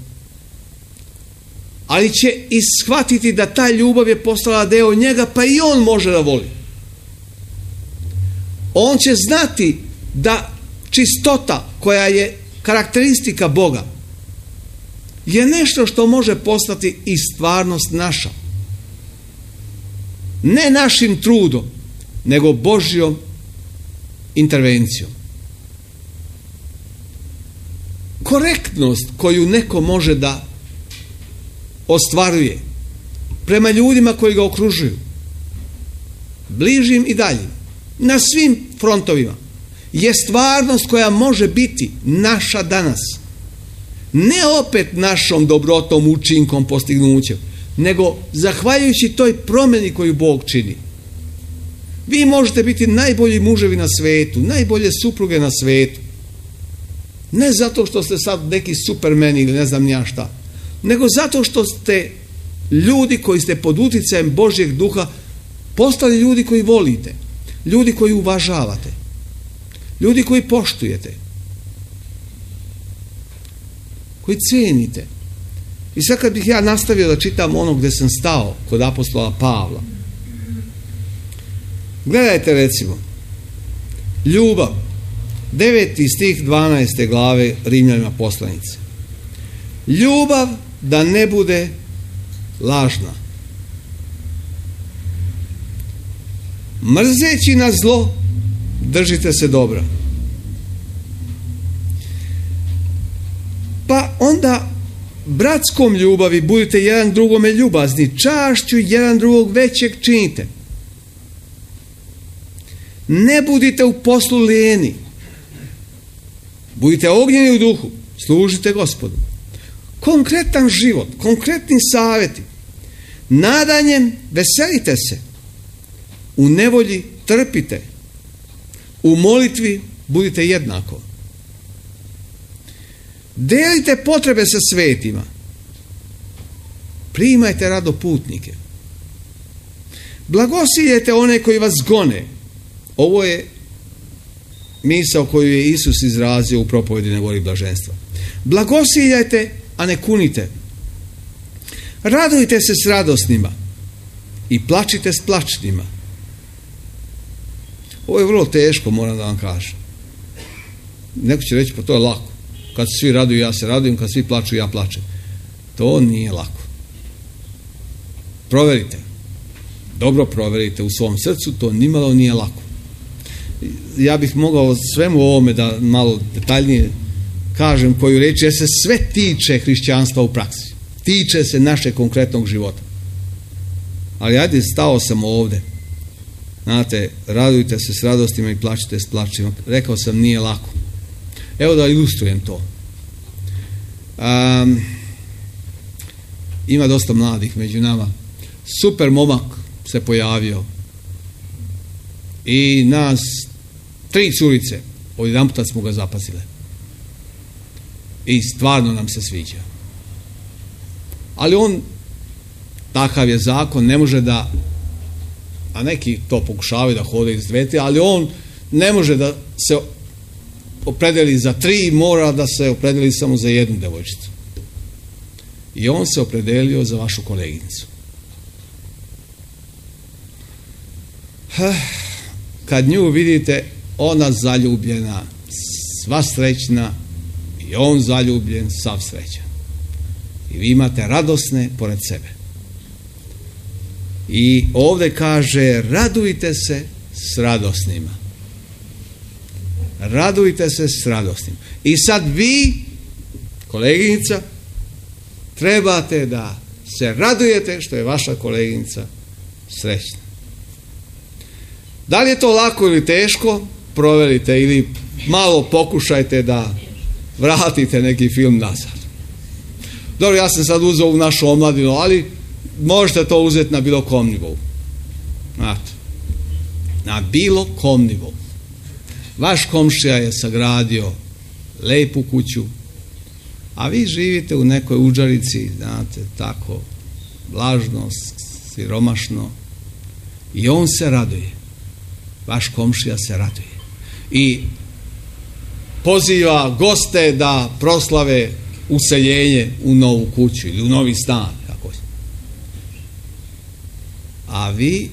Ali će ishvatiti da ta ljubav je postala deo njega, pa i on može da voli. On će znati da čistota koja je karakteristika Boga je nešto što može postati i stvarnost naša. Ne našim trudom, nego Božjom intervencijom. Korektnost koju neko može da ostvaruje prema ljudima koji ga okružuju, bližim i daljim, na svim frontovima, je stvarnost koja može biti naša danas. Ne opet našom dobrotom, učinkom, postignućem, nego zahvaljujući toj promjeni koju Bog čini. Vi možete biti najbolji muževi na svetu, najbolje supruge na svetu. Ne zato što ste sad neki supermeni ili ne znam ja šta, nego zato što ste ljudi koji ste pod uticajem Božjeg duha postali ljudi koji volite, ljudi koji uvažavate, ljudi koji poštujete, koji cijenite. I sad kad bih ja nastavio da čitam ono gdje sam stao kod apostola Pavla, gledajte recimo ljubav, 9. stih 12. glave Rimljanima poslanice. Ljubav da ne bude lažna, mrzeći na zlo držite se dobra. Pa onda bratskom ljubavi budite jedan drugome ljubazni, čašću jedan drugog većeg činite. Ne budite u poslu lijeni, budite ognjeni u duhu, služite Gospodu. Konkretan život, konkretni savjeti. Nadanjem veselite se, u nevolji trpite, u molitvi budite jednako. Delite potrebe sa svetima. Primajte rado putnike. Blagosiljajte one koji vas gone. Ovo je misao koju je Isus izrazio u propovedi na gori blaženstva. Blagosiljajte, a ne kunite. Radujte se s radosnima i plačite s plačnima. Ovo je vrlo teško, moram da vam kažem. Neko će reći, pa to je lako. Kad se svi raduju, ja se radujem, kad svi plaču, ja plačem. To nije lako. Proverite. Dobro proverite u svom srcu, to nimalo nije lako. Ja bih mogao svemu ovome da malo detaljnije kažem koju reč, jer se sve tiče hrišćanstva u praksi. Tiče se našeg konkretnog života. Ali ajde, stao sam ovde. Znate, radujte se s radostima i plačite s plačima. Rekao sam, nije lako. Evo da ilustrujem to. Ima dosta mladih među nama. Super momak se pojavio. I nas 3 curice odjedanput smo ga zapazile. I stvarno nam se sviđa. Ali on, takav je zakon, ne može da, a neki to pokušavaju da hode iz dvete, ali on ne može da se opredeli za 3, mora da se opredeli samo za jednu devojčicu. I on se opredelio za vašu koleginicu. Kad nju vidite, ona zaljubljena, sva srećna, i on zaljubljen, sav srećan. I vi imate radosne pored sebe. I ovdje kaže, radujte se s radosnima. Radujte se s radosnima. I sad vi, koleginica, trebate da se radujete što je vaša koleginica srećna. Da li je to lako ili teško? Proverite ili malo pokušajte da vratite neki film nazad. Dobro, ja sam sad uzeo u našu omladinu, ali možete to uzeti na bilo kom nivou. Znate, na bilo kom nivou. Vaš komšija je sagradio lepu kuću, a vi živite u nekoj udžarici, znate, tako, vlažno, siromašno, i on se raduje. Vaš komšija se raduje. I poziva goste da proslave useljenje u novu kuću ili u novi stan. A vi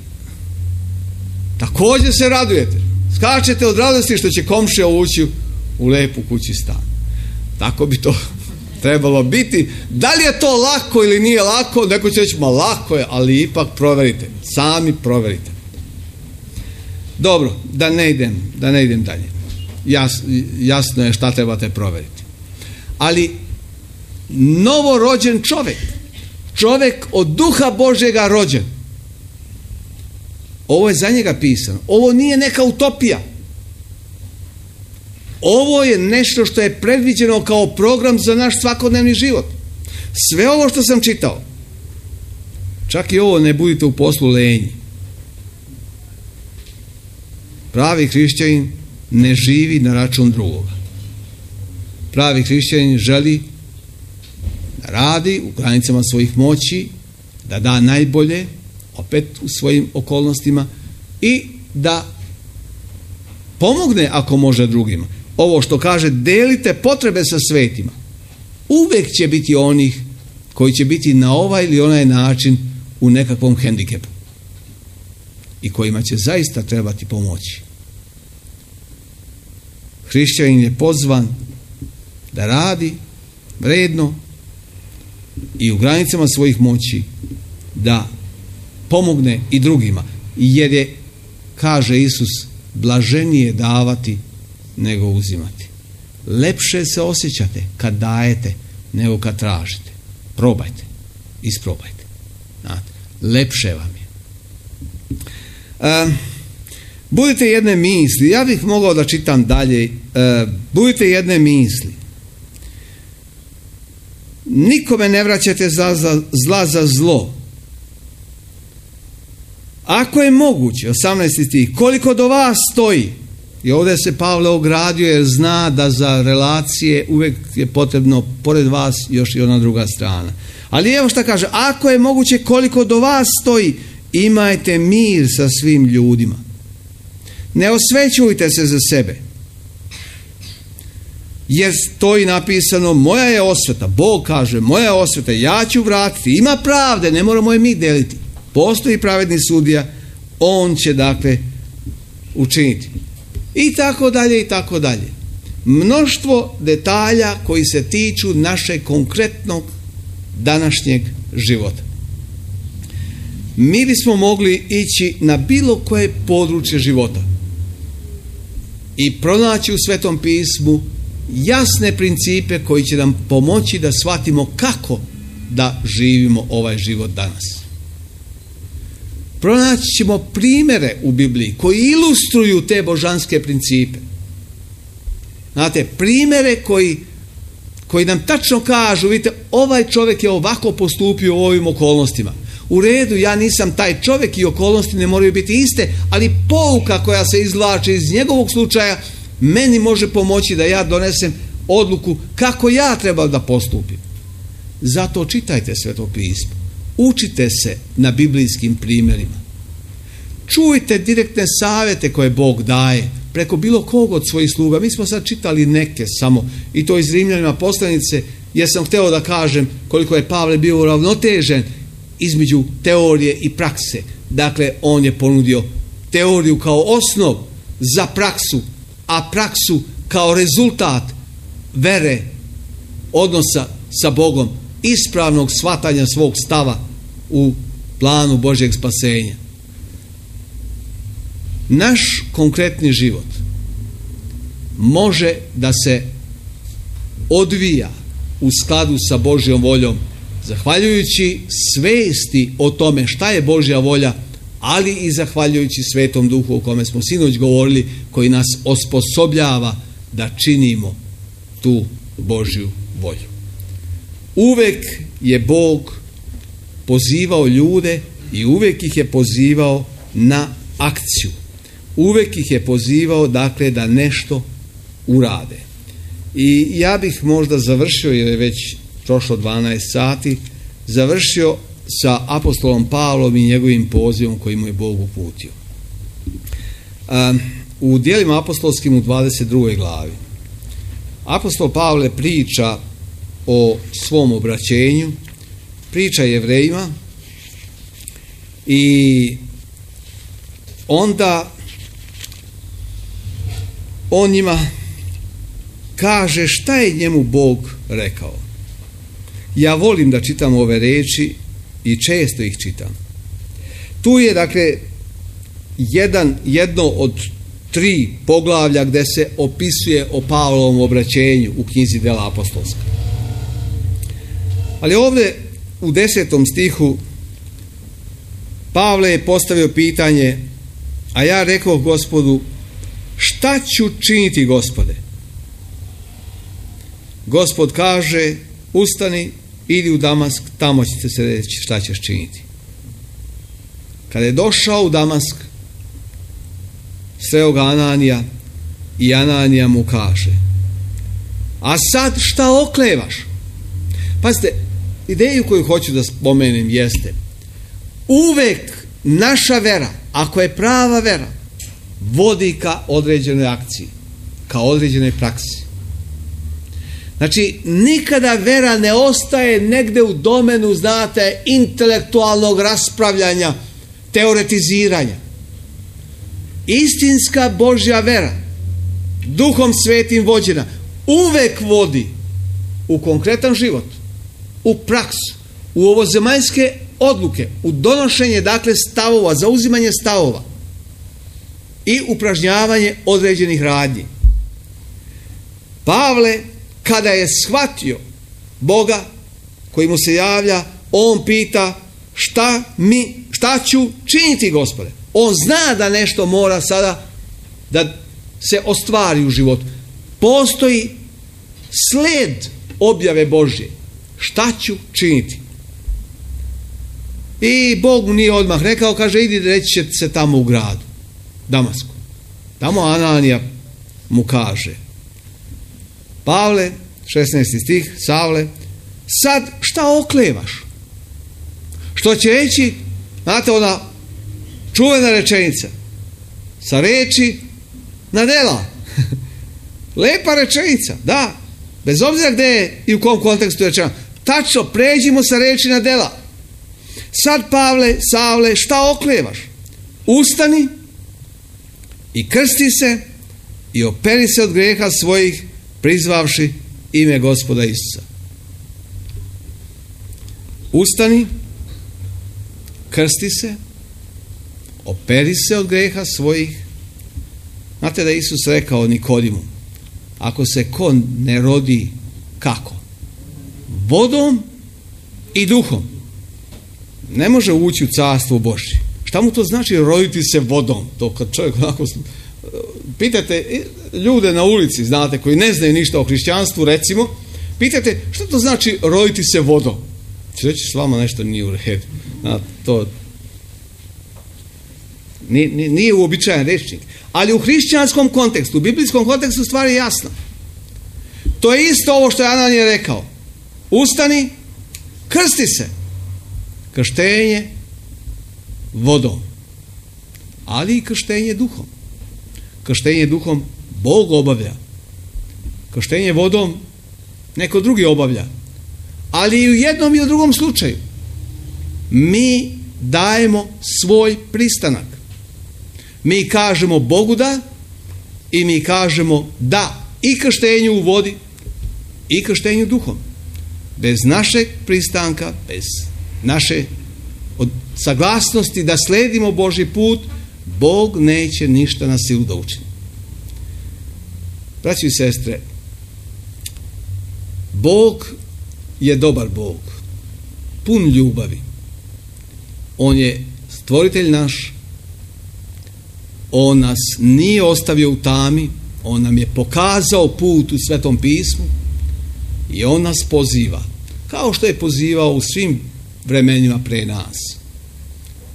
također se radujete. Skačete od radosti što će komšija ući u lepu kući stan. Tako bi to trebalo biti. Da li je to lako ili nije lako? Neko će reći, ma lako je, ali ipak proverite. Sami proverite. Dobro, da ne idem dalje. Jasno je šta trebate proveriti. Ali novorođen čovjek od duha Božjega rođen, ovo je za njega pisano. Ovo nije neka utopija. Ovo je nešto što je predviđeno kao program za naš svakodnevni život. Sve ovo što sam čitao, čak i ovo ne budite u poslu lenji. Pravi hrišćanin ne živi na račun drugoga. Pravi hrišćanin želi da radi u granicama svojih moći, da da najbolje, opet u svojim okolnostima, i da pomogne ako može drugima. Ovo što kaže, delite potrebe sa svetima. Uvijek će biti onih koji će biti na ovaj ili onaj način u nekakvom hendikepu i kojima će zaista trebati pomoći. Hrišćanin je pozvan da radi vredno i u granicama svojih moći da pomogne i drugima, jer je, kaže Isus, blaženije davati nego uzimati. Lepše se osjećate kad dajete nego kad tražite. Probajte, isprobajte. Znate, lepše vam je. Budite jedne misli, ja bih mogao da čitam dalje, budite jedne misli. Nikome ne vraćate zla za zlo. Ako je moguće, 18. stih, koliko do vas stoji, I ovdje se Pavle ogradio jer zna da za relacije uvijek je potrebno pored vas još i ona druga strana. Ali evo šta kaže, ako je moguće koliko do vas stoji, imajte mir sa svim ljudima. Ne osvećujte se za sebe. Jer stoji napisano, moja je osveta. Bog kaže, moja je osveta, ja ću vratiti. Ima pravde, ne moramo je mi deliti. Postoji pravedni sudija, on će dakle učiniti. I tako dalje, i tako dalje. Mnoštvo detalja koji se tiču našeg konkretnog današnjeg života. Mi bismo mogli ići na bilo koje područje života i pronaći u Svetom pismu jasne principe koji će nam pomoći da shvatimo kako da živimo ovaj život danas. Pronaći ćemo primjere u Bibliji koji ilustruju te božanske principe. Znate, primjere koji nam tačno kažu, vidite, ovaj čovjek je ovako postupio u ovim okolnostima. U redu, ja nisam taj čovjek i okolnosti ne moraju biti iste, ali pouka koja se izvlači iz njegovog slučaja meni može pomoći da ja donesem odluku kako ja trebam da postupim. Zato čitajte Sveto pismo. Učite se na biblijskim primjerima. Čujte direktne savjete koje Bog daje preko bilo kog od svojih sluga. Mi smo sad čitali neke samo, i to iz Rimljanima poslanice, jer sam htio da kažem koliko je Pavle bio uravnotežen između teorije i prakse. Dakle, on je ponudio teoriju kao osnov za praksu, a praksu kao rezultat vere, odnosa sa Bogom, ispravnog shvatanja svog stava u planu Božjeg spasenja. Naš konkretni život može da se odvija u skladu sa Božjom voljom, zahvaljujući svesti o tome šta je Božja volja, ali i zahvaljujući Svetom Duhu o kome smo sinoć govorili, koji nas osposobljava da činimo tu Božju volju. Uvek je Bog pozivao ljude i uvek ih je pozivao na akciju. Uvek ih je pozivao, dakle, da nešto urade. I ja bih možda završio, jer je već prošlo 12 sati, završio sa apostolom Pavlom i njegovim pozivom koji mu je Bog uputio. U djelima apostolskim u 22. glavi apostol Pavle priča o svom obraćenju, priča Jevrejima i onda on njima kaže šta je njemu Bog rekao. Ja volim da čitam ove reči i često ih čitam. Tu je dakle jedno od 3 poglavlja gdje se opisuje o Pavlovom obraćenju u knjizi Dela apostolska. Ali ovdje u 10. stihu Pavle je postavio pitanje, a ja rekao Gospodu, šta ću činiti, Gospode? Gospod kaže, ustani, idi u Damask, tamo ćete se reći šta ćeš činiti. Kada je došao u Damask, sreo ga Ananija i Ananija mu kaže, a sad šta oklevaš? Pazite, ideju koju hoću da spomenem jeste, uvek naša vera, ako je prava vera, vodi ka određenoj akciji, ka određenoj praksi. Znači, nikada vera ne ostaje negde u domenu, znate, intelektualnog raspravljanja, teoretiziranja. Istinska Božja vera, Duhom Svetim vođena, uvek vodi u konkretan život, u praksu, u ovozemaljske odluke, u donošenje, dakle, stavova, zauzimanje stavova i upražnjavanje određenih radnji. Pavle, kada je shvatio Boga koji mu se javlja, on pita šta ću činiti, Gospode? On zna da nešto mora sada da se ostvari u životu. Postoji sled objave Božje. Šta ću činiti? I Bog mu nije odmah rekao, kaže, idi reći će se tamo u gradu, Damasku. Tamo Ananija mu kaže: Pavle, 16. stih, Savle, sad šta oklevaš? Što će reći, znate, ona čuvena rečenica, sa reči na dela. Lepa rečenica, da, bez obzira gdje je i u kom kontekstu je rečena. Tačno, pređimo sa reči na dela. Sad, Pavle, Savle, šta oklevaš? Ustani i krsti se i operi se od grijeha svojih, prizvavši ime Gospoda Isusa. Ustani, krsti se, operi se od grijeha svojih. Znate da je Isus rekao Nikodimu: ako se ko ne rodi kako? Vodom i duhom, ne može ući u carstvo Božje. Šta mu to znači roditi se vodom? To kad čovjek onako... Pitajte ljude na ulici, znate, koji ne znaju ništa o hrišćanstvu, recimo, pitajte šta to znači roditi se vodom. Će reći, s vama nešto nije u redu. To nije uobičajen rečnik. Ali u hrišćanskom kontekstu, u biblijskom kontekstu stvar je jasna. To je isto ovo što je Ananija rekao. Ustani, krsti se. Krštenje vodom, ali i krštenje duhom. Krštenje duhom Bog obavlja. Krštenje vodom neko drugi obavlja. Ali i u jednom i u drugom slučaju mi dajemo svoj pristanak. Mi kažemo Bogu da i mi kažemo da i krštenju u vodi i krštenju duhom. Bez našeg pristanka, bez naše saglasnosti da sledimo Božji put, Bog neće ništa na silu da učini. Braćo i sestre, Bog je dobar Bog, pun ljubavi. On je stvoritelj naš. On nas nije ostavio u tami, on nam je pokazao put u Svetom pismu i on nas poziva, kao što je pozivao u svim vremenima pre nas.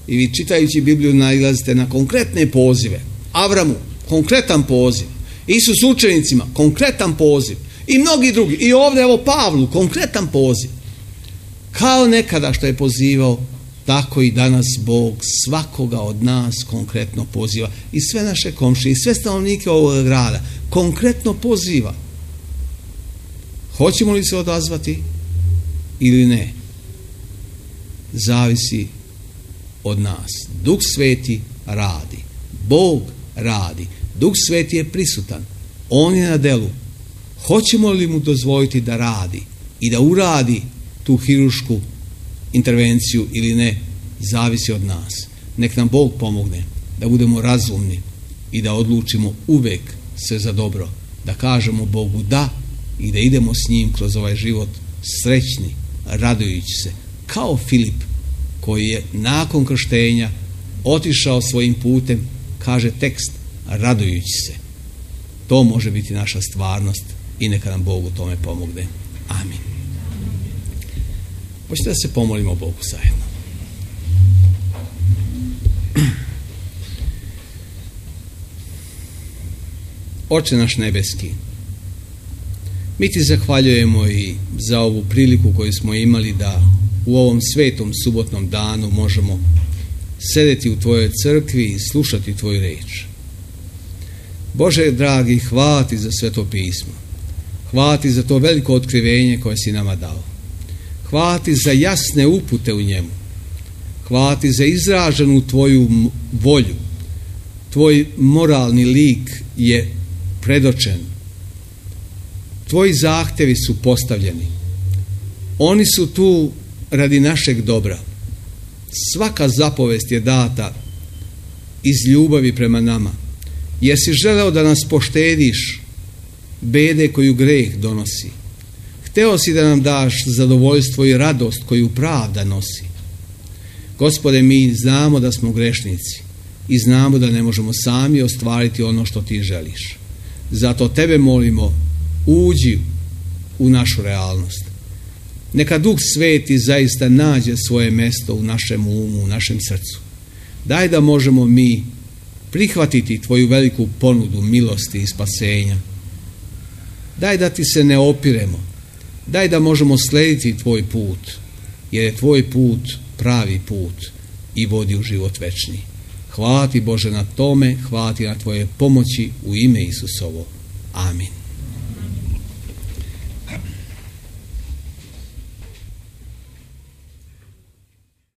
I vi čitajući Bibliju nailazite na konkretne pozive. Avramu, konkretan poziv. Isus učenicima, konkretan poziv. I mnogi drugi. I ovdje, evo, Pavlu, konkretan poziv. Kao nekada što je pozivao, tako i danas Bog svakoga od nas konkretno poziva. I sve naše komšije, i sve stanovnike ovog grada konkretno poziva. Hoćemo li se odazvati ili ne? Zavisi od nas. Duh Sveti radi. Bog radi. Duh Sveti je prisutan. On je na delu. Hoćemo li mu dozvoliti da radi i da uradi tu hirušku intervenciju ili ne, zavisi od nas. Nek nam Bog pomogne da budemo razumni i da odlučimo uvek sve za dobro. Da kažemo Bogu da i da idemo s njim kroz ovaj život srećni, radujući se. Kao Filip koji je nakon krštenja otišao svojim putem, kaže tekst, radujući se. To može biti naša stvarnost i neka nam Bog u tome pomogne. Amin. Hoćete da se pomolimo Bogu zajedno. Oče naš nebeski, mi ti zahvaljujemo i za ovu priliku koju smo imali da u ovom svetom subotnom danu možemo sedeti u tvojoj crkvi i slušati tvoju reč. Bože dragi, hvala ti za Sveto pismo. Hvala ti za to veliko otkrivenje koje si nama dao. Hvala ti za jasne upute u njemu. Hvala ti za izraženu tvoju volju. Tvoj moralni lik je predočen. Tvoji zahtevi su postavljeni. Oni su tu radi našeg dobra. Svaka zapovest je data iz ljubavi prema nama. Jesi želeo da nas poštediš bede koju greh donosi. Hteo si da nam daš zadovoljstvo i radost koju pravda nosi. Gospode, mi znamo da smo grešnici i znamo da ne možemo sami ostvariti ono što ti želiš. Zato tebe molimo, uđi u našu realnost. Neka Duh Sveti zaista nađe svoje mesto u našem umu, u našem srcu. Daj da možemo mi prihvatiti tvoju veliku ponudu milosti i spasenja. Daj da ti se ne opiremo, daj da možemo slediti tvoj put, jer je tvoj put pravi put i vodi u život večni. Hvala ti Bože na tome, hvala ti na tvoje pomoći u ime Isusovo. Amin.